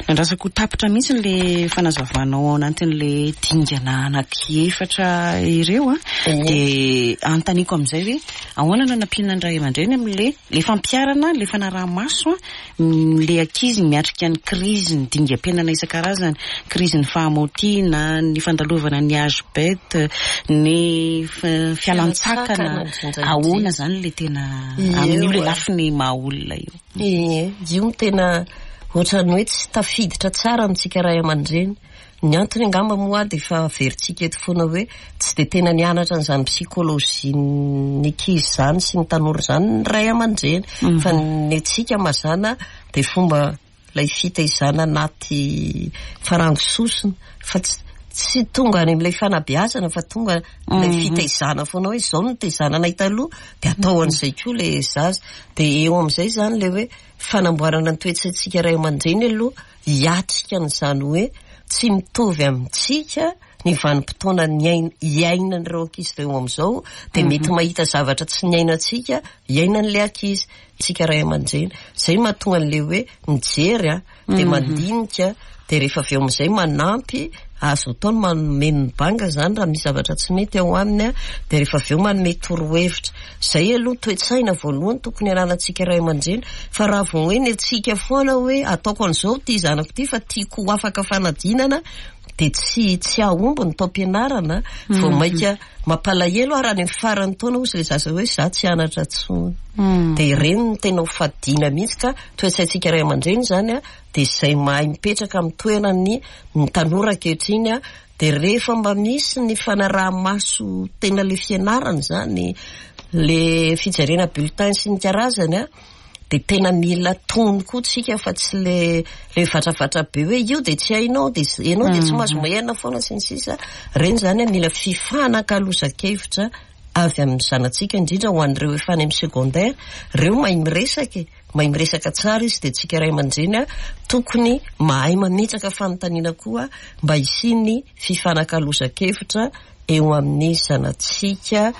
Speaker 1: Nandrasako tapitra mihitsy le fanazavanao ao anatin'le dingana anankiefatra ireo a. Dia anontaniako amin'izay hoe ahoana no anampiana ny ray aman-dreny amin'le le fampiharana le fanaraha-maso le ankizy miatrika ny crise ny dingam-piainana isan-karazany, crise ny fahamaotiana, ny fandalovana ny âge bête, ny fialan-tsakana. Ahoana zany le tena amin'io le lafiny maha olona io?
Speaker 2: Ie, io no tena ohatran'ny hoe tsy tafiditra tsara amintsika ray aman-dreny. Ny antony angamba moa dia efa averintsika eto foana hoe tsy dia tena nianatra an'izany psikôlôjia ny ankizy izany sy ny tanora izany ny ray aman-dreny. Fa ny antsika mazàna dia fomba ilay fitaizana anaty farango sosona fa tsy tsy tonga any amin'ilay fanabeazana fa tonga ilay fitaizana foana hoe izao no nitaizana anay taloha dia atao an'izay koa ilay zaza. Dia eo amin'izay zany ilay hoe fanamboarana ny toe-tsaintsika ray aman-dreny aloha hiatrika an'izany hoe tsy mitovy amintsika ny vanim-potoana iainan'ireo ankizy ireo amin'izao, dia mety mahita zavatra tsy niainantsika iainan'ilay ankizy tsika ray aman-dreny. Izay mahatonga an'ilay hoe mijery a, dia mandinika, dia rehefa avy eo amin'izay manampy Azo atao ny manome ny banga zany raha misy zavatra tsy mety ao aminy a, dia rehefa avy eo manome torohevitra. Zay aloha toe-tsaina voalohany tokony ananantsika ray aman-dreny, fa raha vao hoe ny antsika foana hoe ataoko an'izao ty zanako ty fa tiako ho afaka fanadinana, dia tsy tsy ahomby ny taom-pianarana, vao mainka mampalahelo ary any amin'ny faran'ny taona hozy ilay zaza hoe za tsy hianatra intsony. Dia ireny no tena ho fadiana mihitsy, ka toe-tsaintsika ray aman-dreny zany a, dia izay mahay mipetraka amin'ny toerany ny tanora ankehitriny a, dia rehefa mba misy ny fanaraha-maso tena le fianarana zany, le fijerena bulletin sy ny karazany a, dia tena mila tony koa tsika fa tsy le le vatravatra be hoe io dia tsy hainao, dia ianao dia tsy mahazo moyenne foana sy ny sisa. Ireny zany a mila fifanakalozan-kevitra avy amin'ny zanatsika, indrindra ho an'ireo efa any amin'ny secondaire, ireo mahay miresaka e, mahay miresaka tsara izy, dia tsika ray aman-dreny a tokony mahay mametraka fanontaniana koa mba hisian'ny fifanakalozan-kevitra eo amin'ny zanatsika,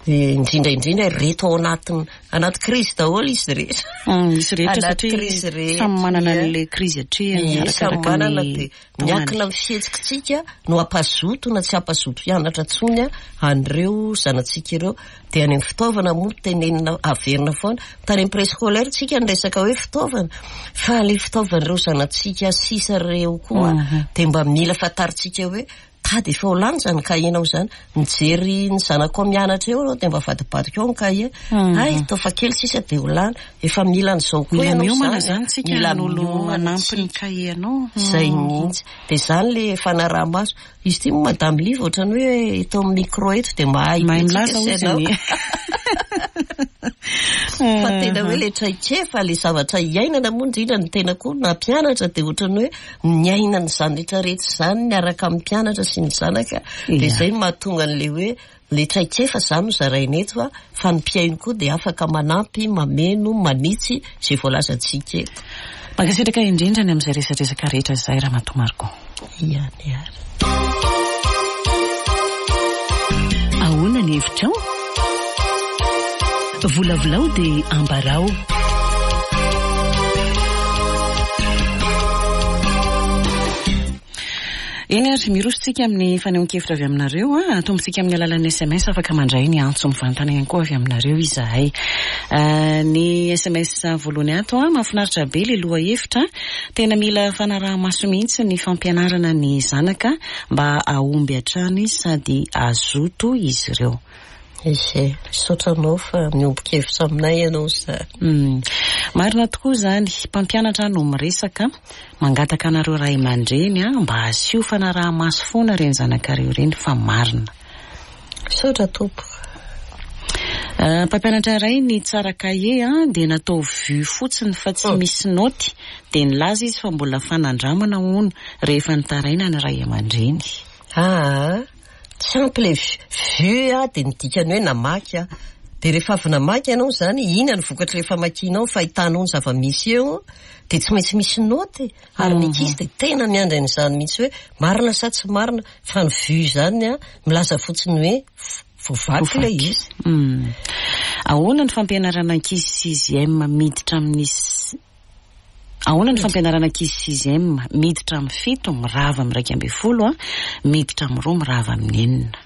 Speaker 2: indrindra indrindra reto ao anatin anaty krizy daholo izy rehetra.
Speaker 1: Izy rehetra satria samy manana an'ilay krizy atrehany,
Speaker 2: samy manana, dia miankina amin'ny fihetsikitsika no hampazoto na tsy hampazoto hianatra intsony a an'ireo zanatsika ireo. Dia any amin'ny fitaovana moa tenenina averina foana, tany amin'ny préscolaire tsika niresaka hoe fitaovana, fa ilay fitaovan'ireo zanatsika sisa ireo koa dia mba mila fantarintsika hoe tady efa ho lany zany kahienao zany, mijery ny zanako mianatra eo anao dia mba vadibadika eo ny kahie, ay taofa kely sisa dia ho lany, efa mila an'izao koa ianao
Speaker 1: miomana zany tsika, mila olo hanampy ny kahienao.
Speaker 2: Zay mihitsy, dia zany le fanaraha-maso. Izy ity moa Madame Liva ohatrany hoe eto amin'ny micro eto dia mahay
Speaker 1: mahay milaza
Speaker 2: izy
Speaker 1: ianao.
Speaker 2: Fa tena hoe le traikefa, le zavatra iainana moa indrindra ny tena koa nampianatra, dia ohatrany hoe niaina an'izany rehetrarehetra izany miaraka amin'ny mpianatra sy ny zanaka, dia izay no mahatonga an'ilay hoe le traikefa zany no zaraina eto a, fa ny mpihaino koa dia afaka manampy, mameno, manitsy izay voalazantsika eto.
Speaker 1: Mankasitraka indrindra ny amin'izay resadresaka rehetra izay, Ramatoa Margot.
Speaker 2: Ihany ary.
Speaker 1: Ahoana ny hevitrao? Volavolao dia ambarao. Eny ary, miroso-tsika amin'ny fanehoan-kevitra avy aminareo a, atombontsika amin'ny alalan'ny S M S, afaka mandray ny antso mivantana ihany koa avy aminareo izahay. Ny S M S voalohany ato a, mahafinaritra be le lohahevitra, tena mila fanaraha-maso mihitsy ny fampianarana ny zanaka mba hahomby hatrany sady hazoto izy ireo.
Speaker 2: Izy, misaotra anao fa miombon-kevitra aminay ianao izany.
Speaker 1: Marina tokoa izany, mpampianatra no miresaka, mangataka anareo ray aman-dreny a, mba asio fanaraha-maso foana ireny zanakareo ireny fa marina.
Speaker 2: Misaotra tompoko.
Speaker 1: Mpampianatra iray ny tsara kahie a, dia natao vue fotsiny fa tsy misy naoty, dia nilaza izy fa mbola fanandramana hono rehefa nitaraina ny ray aman-dreny.
Speaker 2: Ah, tsy ampy le vue a, dia ny dikany hoe namaky a. Dia rehefa avy namaky ianao izany, inona ny vokatra rehefa makianao, fahitanao ny zava-misy eo, dia tsy maintsy misy naoty. Ary ny ankizy dia tena miandry an'izany mihitsy hoe marina sa tsy marina, fa ny vue izany a, milaza fotsiny hoe voavaky ilay izy.
Speaker 1: Ahoana ny fampianarana ankizy sixième miditra amin'ny Ahoana ny fampianarana ankizy sixième miditra amin'ny fito, mirava amin'ny iraika ambin'ny folo a, miditra amin'ny roa, mirava amin'ny enina?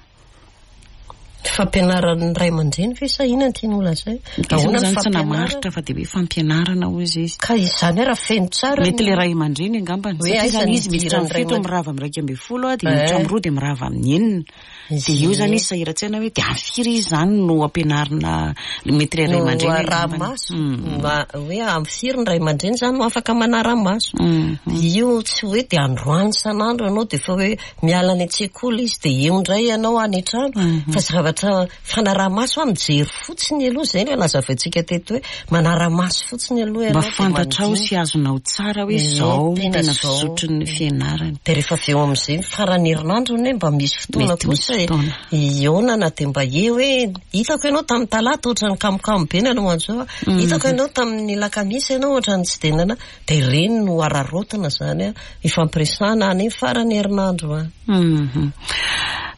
Speaker 2: Fampianaran'ny ray aman-dreny ve sa inona no tianao holazaina?
Speaker 1: Ahoana ny tsy namaritra fa dia hoe fampianarana hoy izy.
Speaker 2: Ka izany hoe raha feno tsara
Speaker 1: mety le ray aman-dreny angambany, satria izany izy miditra amin'ny fito, mirava amin'ny iraika ambin'ny folo a, dia miditra amin'ny roa, dia mirava amin'ny enina. Dia eo izany izy sahiran-tsaina hoe dia amin'ny firy izy izany no ampianarina mety le ray aman-dreny
Speaker 2: manara-maso. Hoe amin'ny firy ny ray aman-dreny izany no afaka manara-maso. Io tsy hoe dia androany isan'andro ianao dia efa hoe miala any an-tsekoly izy dia eo indray ianao any an-trano, fa zavatra fanaraha-maso a, mijery fotsiny aloha, izay no nazavaintsika teto hoe manara-maso fotsiny aloha ianao.
Speaker 1: Mba fantatrao sy azonao tsara hoe izao tena fizotry ny fianarany.
Speaker 2: Dia rehefa avy eo amin'izay faran'ny herinandro anie mba misy fotoana kosa ionana, dia mba eo hoe hitako ianao tamin'ny talata ohatran'ny kamokamo be nanao an'izao, hitako ianao tamin'ny lakamisy ianao ohatran'ny tsy dia nana, dia ireny no araraotina izany a, ifampiresahana any faran'ny herinandro a.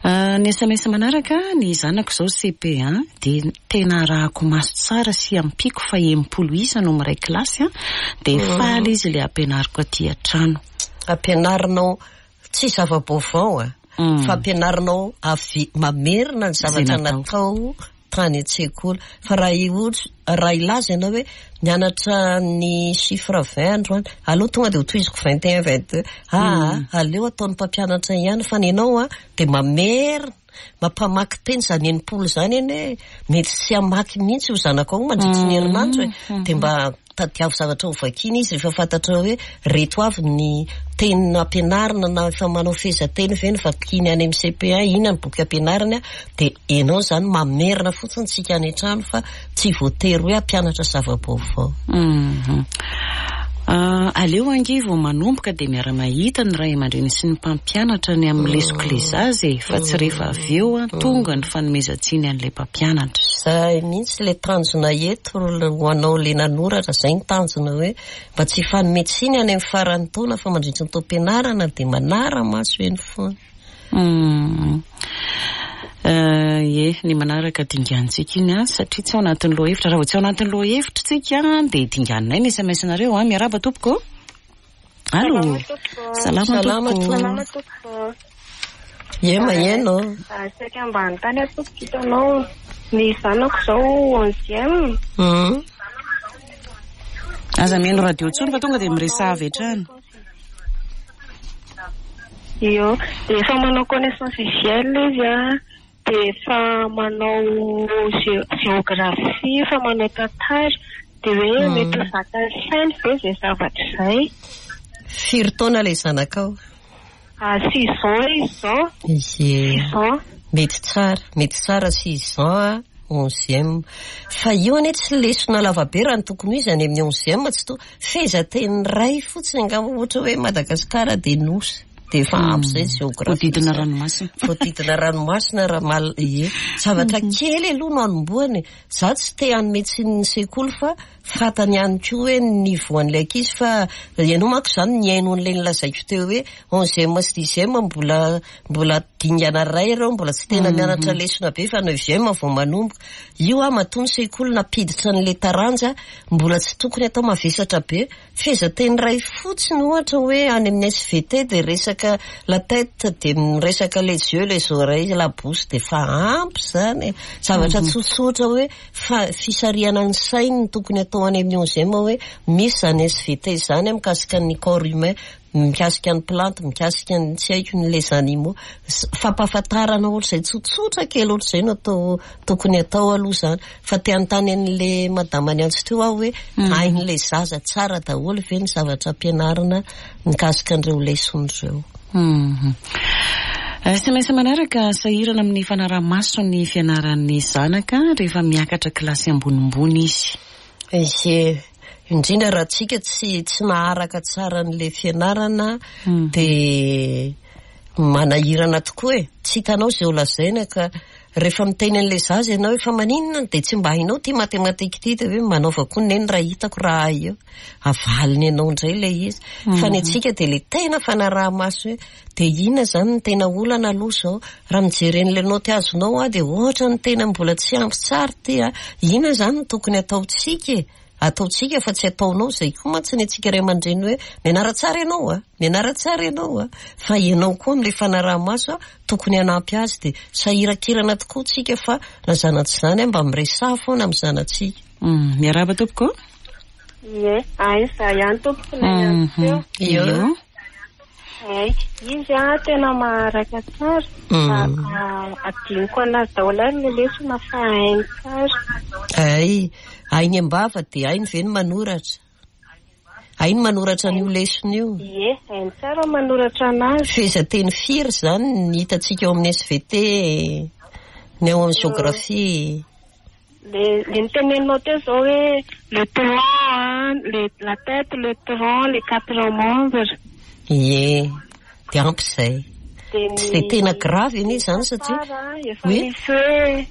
Speaker 1: Ny S M S manaraka, ny zanako izao C P un dia tena arahako maso tsara sy ampiako fa enimpolo isa no miray kilasy a, dia faly izy ilay ampianariko aty an-trano.
Speaker 2: Ampianarinao Tsy zava-baovao a, fampianarinao avy mamerina ny zavatra natao tany an-tsekoly. Fa raha ohatra raha ilaza ianao hoe nianatra ny chiffre vingt androany, aleo tonga dia ho tohiziko vingt et un, vingt deux, aa aleo ataon'ny mpampianatra ihany, fa ny anao a dia mamerina mampamaky teny zany enimpolo zany eny hoe mety tsy hamaky mihitsy io zanakao mandritry ny herinandro e, dia mba tadiavo zavatra ho vakiana izy rehefa fantatra hoe reto avy ny teny nampianarina, na efa manao fehezanteny ve ny vakiany any amin'ny C P un, inona ny boky ampianarina, dia ianao zany mamerina fotsiny tsika any an-trano fa tsy voatery hoe hampianatra zava-baovao.
Speaker 1: Aleo ange vao manomboka dia miara-mahita ny ray aman-dreny sy ny mpampianatra ny amin'ny lesoka ilay zaza e, fa tsy rehefa avy eo a tonga ny fanomezan-tsiny an'ilay mpampianatra.
Speaker 2: Zay mihitsy ilay tanjona eto ho anao ilay nanoratra, zay ny tanjona hoe mba tsy hifanome tsiny any amin'ny faran'ny taona fa mandritry ny taom-pianarana dia manara-maso eny foana.
Speaker 1: Ie, ny manaraka dingantsika iny a, satria tsy ao anatin'ny lohahevitra. Raha vao tsy ao anatin'ny lohahevitra tsika dia dinganinay ny S M S-nareo a. Miarahaba tompoko. Allo. Salama tompoko.
Speaker 3: Salama tompoko.
Speaker 2: Ie, maheno.
Speaker 3: Saika mba hanontany aho tompoko, hitanao ny zanako izao onzième.
Speaker 1: Aza mihaino radio intsony fa tonga dia miresaha avy hatrany.
Speaker 3: Io, dia efa manao connaissance visuelle izy a, dia efa manao géographie, efa manao tantara, dia hoe mety ho zakan'ny sainy ve izay zavatra izay?
Speaker 2: Firy taona ilay zanakao?
Speaker 3: Ah, six ans izy izao.
Speaker 2: Ie.
Speaker 3: Six ans.
Speaker 2: Mety tsara, mety tsara six ans a, onzième. Fa io anie tsy lesona lavabe raha ny tokony ho izy any amin'ny onzième, tsy to fehezanteny iray fotsiny angamba, ohatra hoe Madagasikara dia nosy. Dia efa ampy izay géographie.
Speaker 1: Voadidina ranomasina.
Speaker 2: Voadidina ranomasina raha mal-, ie. Zavatra kely aloha no anombohany. Za tsy te hanome tsiny ny sekoly fa fantany ihany koa hoe ny niveau an'ilay ankizy, fa ianao manko izany nihaino an'ilay nolazaiko teo hoe onzième sy dixième mbola, mbola dingana iray ireo, mbola tsy tena mianatra lesona be fa neuvième vao manomboka. Io a matoa ny sekoly nampiditra an'ilay taranja mbola tsy tokony atao mavesatra be. Fehezanteny iray fotsiny ohatra hoe any amin'ny S V T dia resaka la tête, dia miresaka les yeux, les oreilles, la bouche, dia efa ampy izany. Zavatra tsotsotra hoe fa fisarihana ny sainy no tokony atao any amin'ny onzième hoe misy izany S V T izany mikasika ny corps humain, mikasika ny plante, mikasika ny tsy haiko ny les animaux. Fampahafantarana ohatr'izay tsotsotra kely ohatr'izay no atao, tokony atao aloha izany. Fa te hanontany an'ilay madama niantso teo aho hoe hain'ilay zaza tsara daholo ve ny zavatra ampianarina mikasika an'ireo lesona ireo?
Speaker 1: S M S manaraka, sahirana amin'ny fanaraha-maso ny fianaran'ny zanaka rehefa miakatra kilasy ambonimbony izy.
Speaker 2: Ie, indrindra raha tsika tsy, tsy maharaka tsara an'ilay fianarana dia manahirana tokoa e. Tsy hitanao izay ho lazaina ka rehefa miteny an'ilay zaza ianao efa maninona dia tsy mba hainao ity matematika ity, dia hoe manaova koa neny raha hitako raha hay eo. Avaliny ianao indray ilay izy. Fa ny antsika dia ilay tena fanaraha-maso hoe dia inona izany ny tena olana aloha izao? Raha mijery an'ilay naoty azonao aho dia ohatra ny tena mbola tsy ampy tsara ity a. Inona izany no tokony ataontsika e? Ataontsika fa tsy ataonao izay koa mantsy ny antsika ray aman-dreny hoe mianara tsara ianao a, mianara tsara ianao a, fa ianao koa amin'ilay fanaraha-maso a tokony hanampy azy. Dia sahirakirana tokoa tsika fa na zanatsy izany a mba miresaha foana amin'ny zanatsika.
Speaker 1: Miarahaba tompoko.
Speaker 3: Ie, aiza ihany tompoko na ihany teo.
Speaker 2: Io.
Speaker 3: Ay, izy a tena maharaka tsara. Adinoko anazy daholo ary ny lesona fa hainy tsara.
Speaker 2: Ay, hainy am-bava dia hainy ve ny manoratra? Hainy manoratra an'io lesona io?
Speaker 3: Ie, hainy tsara manoratra anazy.
Speaker 2: Fehezanteny firy izany ny hitantsika ao amin'ny S V T, ny ao amin'ny géographie?
Speaker 3: Le, le niteneninao teo izao hoe le tronc, le, la tête, le tronc, les quatre membres.
Speaker 2: Ie, dia ampy izay.
Speaker 3: Dia
Speaker 2: Tsy dia tena grave anie izany satria
Speaker 3: Tsara, efa
Speaker 2: Oui.
Speaker 3: misy hoe,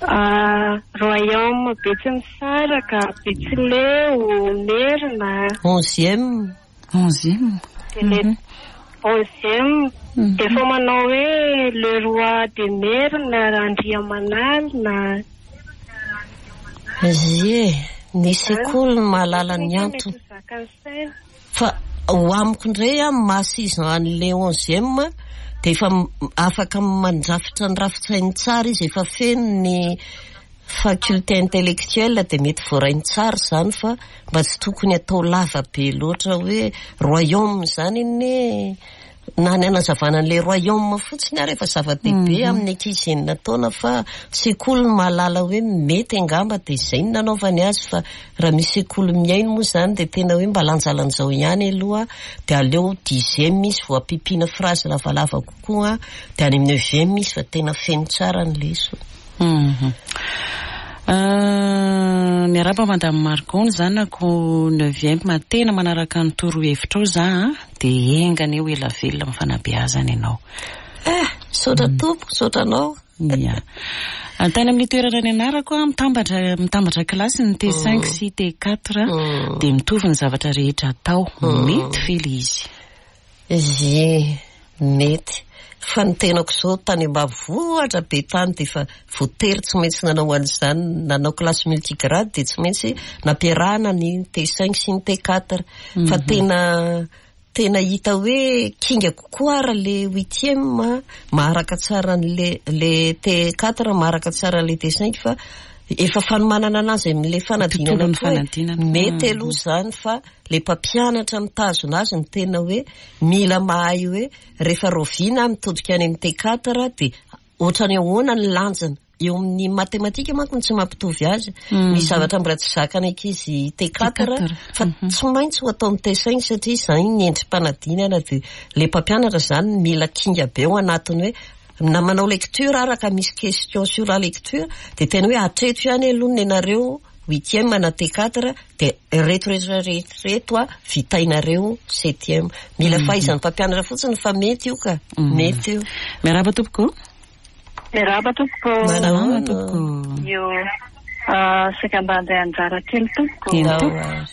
Speaker 3: ah, royaume Betsimisaraka, Betsileo, Merina.
Speaker 2: Onzième.
Speaker 1: Onzième.
Speaker 3: Dia le onzième. Dia efa manao hoe le roi de Merina, Andriamanalina.
Speaker 2: Ie, ny sekoly no mahalala ny antony. Fa Ho amiko indray a, maha six ans an'le onzième dia efa afaka mandrafitra ny rafitsainy tsara izy, efa feno ny faculté intellectuelle, dia mety voarainy tsara zany, fa mba tsy tokony atao lava be loatra hoe royaume zany iny, na ny anazavana an'le royaume fotsiny ary efa zava-dehibe amin'ny ankizy enina taona, fa sekoly ny mahalala hoe mety angamba dia izay no nanaovany azy. Fa raha misy sekoly mihaino moa zany dia tena hoe mba lanjalanjao ihany aloha, dia aleo dixième izy vao ampiampiana phrase lavalava kokoa, dia any amin'ny neuvième izy fa tena feno tsara ny lesona.
Speaker 1: Miarahaba Madame Margot, ny zanako neuvième tena manaraka ny torohevitra ao za, dia enganie ho ela velona amin'ny fanabeazana ianao.
Speaker 2: Eh, misaotra tompoko, misaotra anao.
Speaker 1: Ia. Tany amin'ny toerana ny anarako a, mitambatra mitambatra kilasy ny T cinq sy T quatre, dia mitovy ny zavatra rehetra atao. Mety ve ilay izy?
Speaker 2: Ie, mety. Fa ny tenako izao tany ambanivohitra be tany dia efa voatery tsy maintsy nanao an'izany, nanao classe multigrade, dia tsy maintsy nampiarahana ny T cinq sy ny T quatre. Fa tena tena hita hoe kinga kokoa ary le huitième maharaka tsara an'le le T quatre, maharaka tsara an'le T cinq, fa efa fanomanana anazy amin'le fanadinana koa mety aloha zany. Fa le mpampianatra mitazona azy ny tena hoe mila mahay hoe rehefa roviana mitodika any amin'ny T quatre dia ohatrany ahoana ny lanjana eo amin'ny matematika manko no tsy mampitovy azy. Misy zavatra mbola tsy zakana ankizy T quatre fa tsy maintsy ho atao amin'ny T cinq satria izany ny endri-panadinana, dia le mpampianatra zany mila kinga be ao anatiny hoe na manao lecture araka misy question sur la lecture, dia tena hoe hatreto ihany aloha ny anareo huitième na T quatre, dia reto rehetra reto a vitainareo septième. Mila fahaizan'ny mpampianatra fotsiny, fa mety io ka, mety io.
Speaker 1: Miarahaba tompoko.
Speaker 3: Miarahaba tompoko.
Speaker 1: Salama tompoko.
Speaker 3: Io saika mba handray anjara kely tompoko.
Speaker 1: Eny tompoko.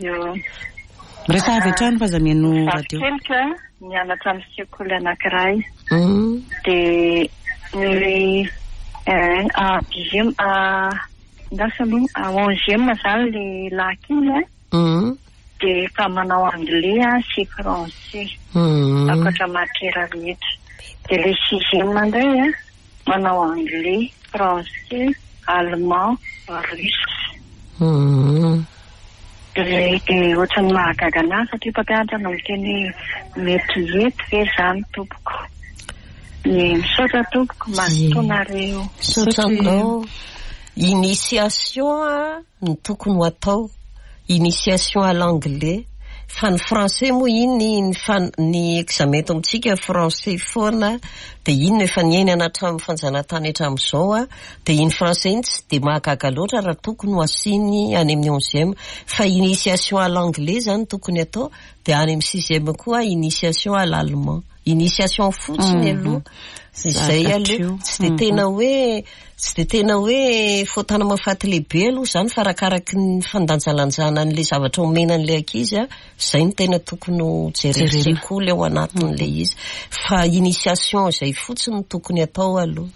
Speaker 3: Io.
Speaker 1: Miresaha avy hatrany fa aza mihaino radio.
Speaker 3: Keliko mianatra amin'ny sekoly anankiray. Dia ny dixième, lasa aloha onzième zany le lahy kely, dia efa manao anglais sy français ankoatra matière rehetra. Dia le sixième indray a manao anglais, français, allemand, russe. Dia ohatran'ny mahagaga anahy satria mpampianatra no miteny hoe mety hety ve zany tompoko. Ny misaotra tompoko, mazotoa nareo.
Speaker 2: Misaotra anao. Initiation a no tokony ho atao, initiation à l'anglais, fa ny français moa iny ny fan ny examen eto amintsika français foana, dia iny no efa niainana hatramin'ny fanjanahantany hatramin'izao a, dia iny français iny tsy dia mahagaga loatra raha tokony ho asiany any amin'ny onzième, fa initiation à l'anglais zany tokony atao, dia any amin'ny sixième koa initiation à l'allemand. Initiation fotsiny aloha izay aloha, tsy dia tena hoe tsy dia tena hoe fotana mahafaty lehibe aloha zany, fa arakaraky ny fandanjalanjana an'le zavatra omena an'le ankizy a, izay no tena tokony ho jerena sekoly ao anatin'le izy, fa initiation izay fotsiny no tokony atao aloha.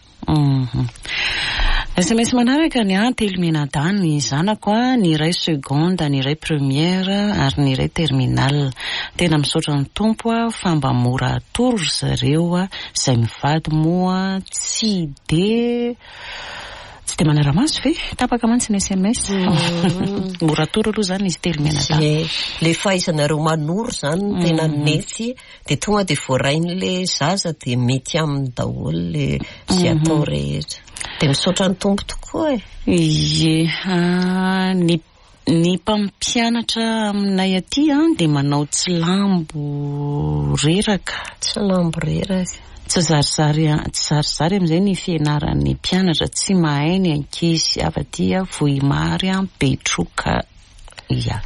Speaker 1: S M S manaraka ny a telo mianadahy ny zanako a, ny iray seconde, ny iray première ary ny iray terminale. Tena misaotra ny tompo a fa mba mora atoro ry zareo a, izay mivady moa tsy de tsy de manara-maso ve? Tapaka mantsy ny S M S. Mora atoro aloha zany izy telo mianadahy.
Speaker 2: Le fahaizanareo manoro zany no tena mety, dia tonga dia voarain'le zaza dia mety aminy daholo le izay atao rehetra. Dia misaotra ny tompo tokoa e.
Speaker 1: Ie, ny ny mpampianatra aminay aty a dia manao tsilambo reraka.
Speaker 2: Tsilambo reraka.
Speaker 1: Tsy zarizary tsy zarizary amin'izay ny fianaran'ny mpianatra, tsy mahay ny ankizy avy aty a Vohimary a Betroka. Ia.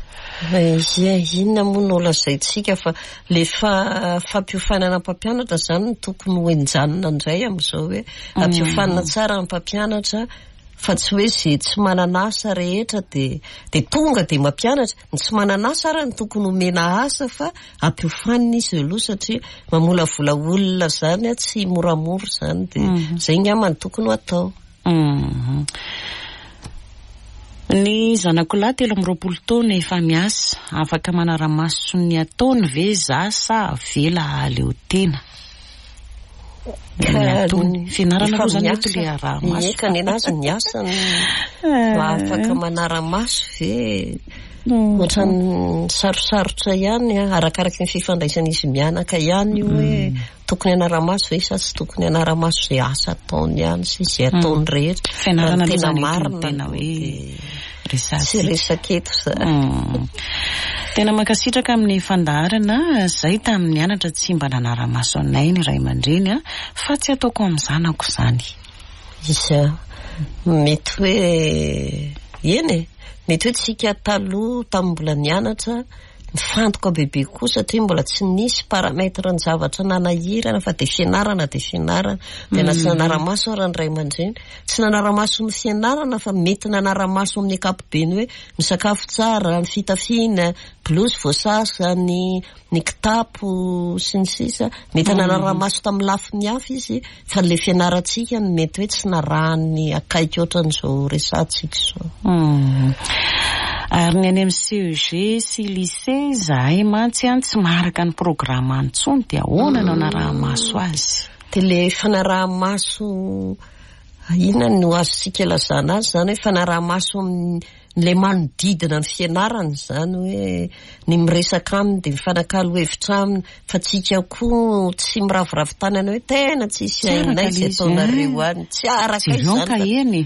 Speaker 2: Ie, inona moa no lazaintsika fa le fa fampiofanana mpampianatra zany no tokony ho enjanina indray amin'izao hoe ampiofanina tsara ny mpampianatra, fa tsy hoe izay tsy manana asa rehetra dia dia tonga dia mampianatra. Ny tsy manana asa ary no tokony homena asa fa ampiofanina izy aloha satria mamolavola olona zany a tsy moramora zany, dia izay angamba no tokony ho atao.
Speaker 1: Ny zanako lahy telo amby roapolo taona efa miasa, afaka manara-maso ny ataony ve za sa avela hahaleo tena? Ny ataony, fianarana aloha zany eto le araha-maso.
Speaker 2: Eka, ny anazy ny asany afaka manara-maso ve? Ohatran'ny sarosarotra ihany, arakaraky ny fifandraisan'izy mianaka ihany io hoe tokony hanara-maso ve sa tsy tokony hanara-maso izay asa ataony ihany sy izay ataony rehetra.
Speaker 1: Fianarana aloha
Speaker 2: Tena
Speaker 1: zany eto no
Speaker 2: marina
Speaker 1: tena hoe
Speaker 2: dia
Speaker 1: resahantsika.
Speaker 2: tsy resaka eto zany.
Speaker 1: Mm. Tena mankasitraka amin'ny fandaharana zay tamin'ny nianatra tsy mba nanara-maso anay ny ray aman-dreny a, fa tsy ataoko amin'ny zanako zany.
Speaker 2: Izy mety hoe eny e, mety hoe tsika taloha tamin'ny mbola nianatra nifantoka bebe koa satria mbola tsy nisy paramètre ny zavatra nanahirana fa dia fianarana dia fianarana, dia na tsy nanara-maso ary ny ray aman-dreny, tsy nanara-maso ny fianarana fa mety nanara-maso amin'ny ankapobeny hoe ny sakafo tsara, ny fitafiana, blouse voasasa, ny ny kitapo sy ny sisa. Mety nanara-maso tamin'ny lafiny hafa izy fa le fianarantsika no mety hoe tsy narahany akaiky ohatran'izao resahantsika izao.
Speaker 1: Mm. Ary ny any amin'ny C E G sy lycée zahay mantsy any tsy maharaka ny programme intsony, dia ahoana no anaraha-maso azy?
Speaker 2: Dia le fanaraha-maso inona no azontsika lazana azy zany hoe fanaraha-maso amin'le manodidina ny fianarana zany, hoe ny miresaka aminy dia mifanakalo hevitra aminy, fa tsika koa tsy miraviravy tanana hoe tena tsisy
Speaker 1: Tsy araka
Speaker 2: hainay izay
Speaker 1: ilay izy,
Speaker 2: ataonareo any, tsy araka
Speaker 1: Jereo
Speaker 2: izany
Speaker 1: ka
Speaker 2: fa
Speaker 1: eny.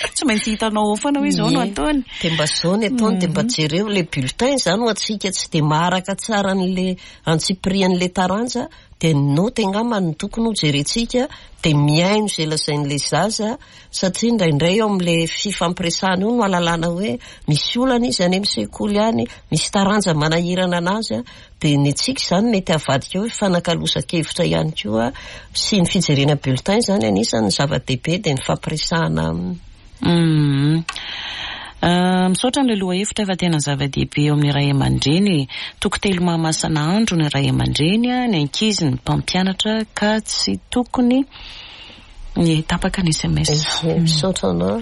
Speaker 1: Tsy maintsy hitanao ao foana hoe izao no
Speaker 2: Ie.
Speaker 1: ataony.
Speaker 2: Dia mba zao ny ataony, dia mba jereo le bulletin zany ho antsika tsy dia maharaka tsara an'le antsipirian'le taranja, dia ny note angamba no tokony ho jerentsika, dia mihaino izay lazain'le zaza, satria indraindray eo amin'le fifampiresahana io no ahalalana hoe misy olana izy any amin'ny sekoly any, misy taranja manahirana anazy a, dia ny antsika izany mety avadika hoe fanakalozan-kevitra ihany koa sy ny fijerena bulletin zany anisan'ny zava-dehibe, dia ny fampiresahana aminy.
Speaker 1: Mm. Uh, misaotra n'ilay loha hevitra fa tena zava-dehibe eo amin'ny ray aman-dreny. Toko telo mahamasina andro ny ray aman-dreny a, ny ankizy, ny mpampianatra, ka tsy tokony ny tapaka ny S M S.
Speaker 2: Ie, misaotra anao.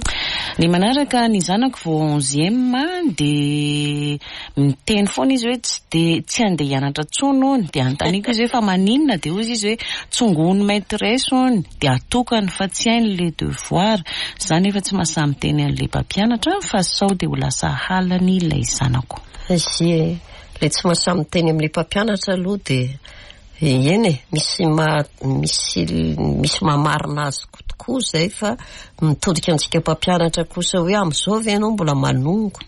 Speaker 1: Ny manaraka, ny zanako vao onzième dia miteny foana izy hoe tsy de tsy andeha hianatra intsony hony, dia anontaniako izy hoe fa maninona, dia hozy izy hoe tsongohony maîtresse hony, dia atokany fa tsy hainy le devoir zany, efa tsy mahasahy miteny an'le mpampianatra fa sao dia ho lasa halany ilay zanako.
Speaker 2: Izy le tsy mahasahy miteny amin'le mpampianatra aloha dia eny e, misy ma misy misy mamarina azy tokoa zay, fa mitodika antsika mpampianatra kosa hoe amin'izao ve ianao mbola manongo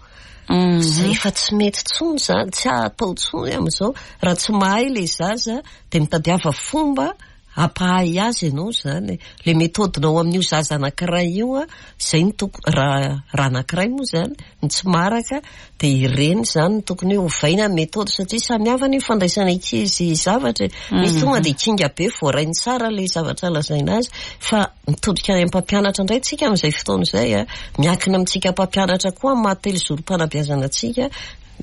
Speaker 2: zay efa tsy mety tsony zany, tsy atao tsony amin'izao. Raha tsy mahay le zaza dia mitadiava fomba ampahay azy ianao zany, le méthode-nao amin'io zaza anankiray io a, zay ny toko raha raha anankiray moa zany ny tsy maharaka, dia ireny zany no tokony hoe ovaina méthode, satria samy hafa ny fandraisana ankizy zavatra e. Misy tonga dia kinga be, voarainy tsara le zavatra lazaina azy, fa mitodika any amin'ny mpampianatra indray tsika amin'izay fotoana izay a, miankina amintsika mpampianatra koa amin'ny maha telo zorom-panabeazana antsika,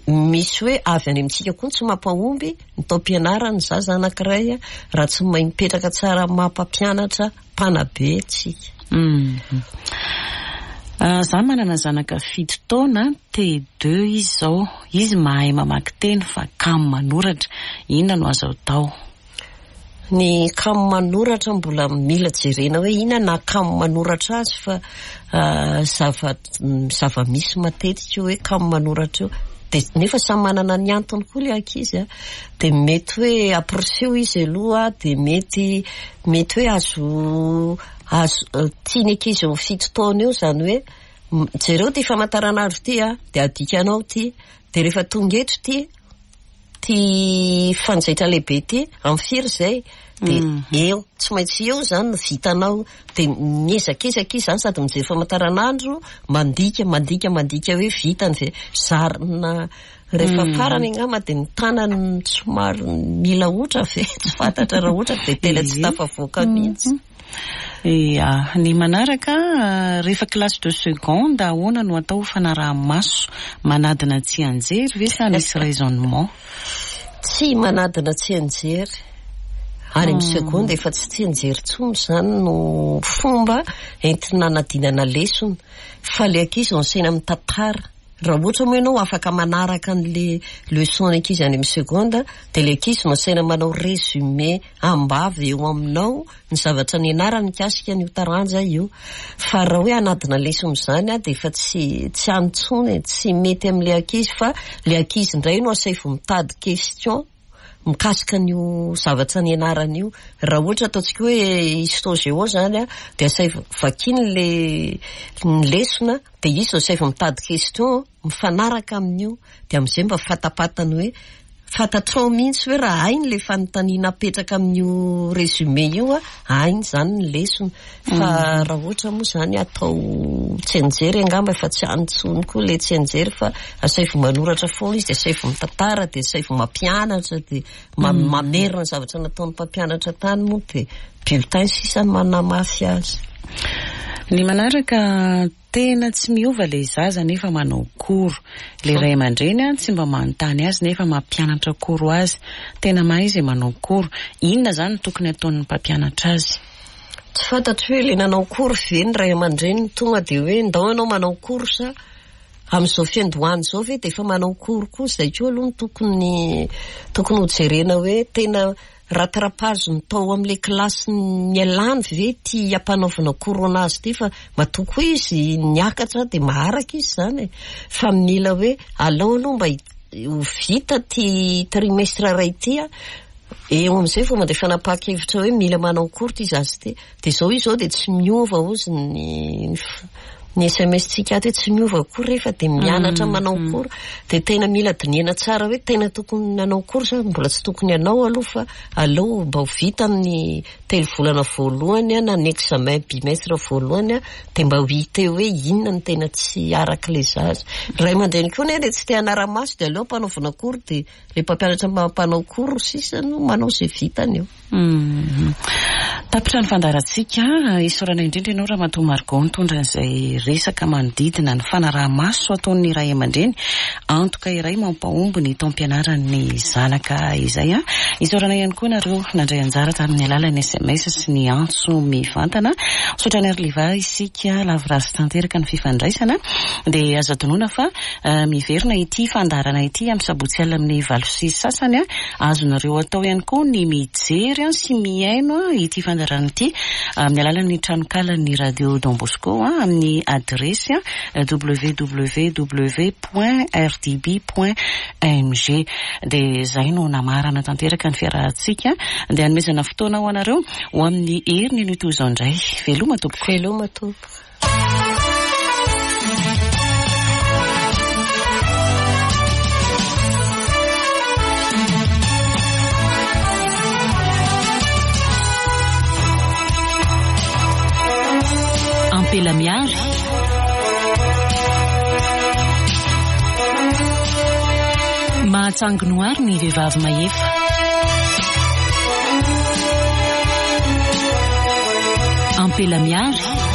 Speaker 2: misy hoe avy any amintsika koa tsy mampahomby ny taom-pianarana zaza anankiray a, raha tsy mahay mipetraka tsara amin'ny maha mpampianatra mpanabe tsika.
Speaker 1: Mm. Uh, za manana zanaka fito taona, T deux izy zao, izy mahay mamaky teny fa kamo manoratra, inona no azo atao?
Speaker 2: Ny kamo manoratra mbola mila jerena hoe inona na kamo manoratra azy, fa uh, zava zava-misy matetika hoe kamo manoratra io dia nefa samy manana ny antony koa le ankizy a, dia mety hoe ampiriseo izy aloha, dia mety mety hoe azo azo uh, tiany ankizy eo fito taona eo zany hoe jereo ty famantaranandro ty a, dia adikanao ty, dia rehefa tonga eto ty ty fanjaitra lehibe ty amin'ny firy zay, dia eo tsy maintsy eo zany no vitanao, dia miezakezaka izy zany sady mijery famantaranandro, mandika mandika mandika hoe vitany ve zarina rehefa farany angamba, dia ny tanany somary mila otra ve, tsy fantatra raha ohatra dia tena tsy tafavoaka mihitsy.
Speaker 1: Ia, ny manaraka, rehefa classe de seconde, ahoana no atao fanaraha-maso? Manadina tsy anjery ve sa misy raisonnement?
Speaker 2: Tsy manadina tsy anjery. Any amin'ny seconde efa tsy tsianjery intsony izany no fomba entina anadinana lesona, fa le ankizy no asaina mitantara. Raha ohatra moa ianao afaka manaraka an'le leçon ny ankizy any amin'ny seconde, dia le ankizy no asaina manao résumé ambavy eo aminao ny zavatra nianarany mikasika an'io taranja io. Fa raha hoe anadina lesona izany a, dia efa tsy tsy any intsony, tsy mety amin'le ankizy, fa le ankizy indray no asaivo mitady question mikasika an'io zavatra nianarany io. Raha ohatra ataontsika hoe histo géo zany a, dia asaivo vakiny le ny lesona, dia izy no asaivo mitady question mifanaraka amin'io, dia amin'izay mba fatapatany hoe fantatrao mihitsy hoe raha hainy le fanontaniana apetraka amin'io résumé io a, hainy zany ny lesona. Fa raha ohatra moa zany atao tsianjery angamba efa tsy any intsony koa le tsianjery, fa asaivo manoratra foana izy, dia asaivo mitantara, dia asaivo mampianatra, dia mamerina ny zavatra nataon'ny mpampianatra tany moa, dia bulletin sisa no manamafy azy.
Speaker 1: Ny manaraka, tena tsy miova le zaza nefa manao cours. Le ray aman-dreny a tsy mba manontany azy nefa mampianatra cours azy. Tena mahay izy manao cours. Inona zany no tokony ataon'ny mpampianatra azy?
Speaker 2: Tsy fantatro hoe le nanao cours ve ny ray aman-dreny tonga dia hoe ndao ianao manao cours sa amin'izao fiandohana izao ve dia efa manao cours koa. Izay koa aloha no tokony tokony hojerena hoe tena rattrapage ny tao amin'ilay kilasy nialany ve ty ampanaovina cours anazy ty, fa matoa koa izy niakatra dia maharaka izy zany e. Fa mila hoe alao aloha mba ho vita ty trimestre iray ty a, eo amin'izay vao mandeha fanapahan-kevitra hoe mila manao cours ty zaza ty. Dia izao izy izao dia tsy miova ozy ny ny S M S-tsika ato hoe tsy miova cours rehefa dia mianatra manao cours. Dia tena mila dinihana tsara hoe tena tokony hanao cours sa mbola tsy tokony hanao aloha, fa aleo mba ho vita amin'ny telo volana voalohany na ny examen bimestre voalohany, dia mba ho hita eo hoe inona no tena tsy araka ilay zaza. Ray aman-dreny koa anie dia tsy te hanara-maso, dia aleo ampanaovina cours, dia ilay mpampianatra mampanao cours sisa no manao izay vitany eo.
Speaker 1: Tapitra ny fandaharantsika. Isaorana indrindra ianao Ramatoa Margot nitondra an'izay resaka manodidina ny fanaraha-maso ataon'ny ray aman-dreny, antoka iray mampahomby ny taom-pianaran'ny zanaka izay. Isaorana ihany koa nareo nandray anjara tamin'ny alalan'ny S M S sy ny antso mivantana. Misaotra an'i Arliva isika lavorary tanteraka ny fifandraisana. Dia azo adinoina fa miverina ity fandaharana ity amin'ny sabotsy alina amin'ny valo sy sasany. Azonareo atao ihany koa ny mijery sy mihaino ity fandaharana ity amin'ny alalan'ny tranokalan'ny Radio Don Bosco amin'ny adiresy w w w point r d b point m g. Dia izay no namarana tanteraka ny fiarahantsika. Dia hanomezana fotoana ho anareo ho amin'ny heriny no toy izao indray. Veloma tompoko.
Speaker 2: Veloma tompoko.
Speaker 4: Ampela miary. Mahatsanginoary ny vehivavy mahefa. Ampela miary.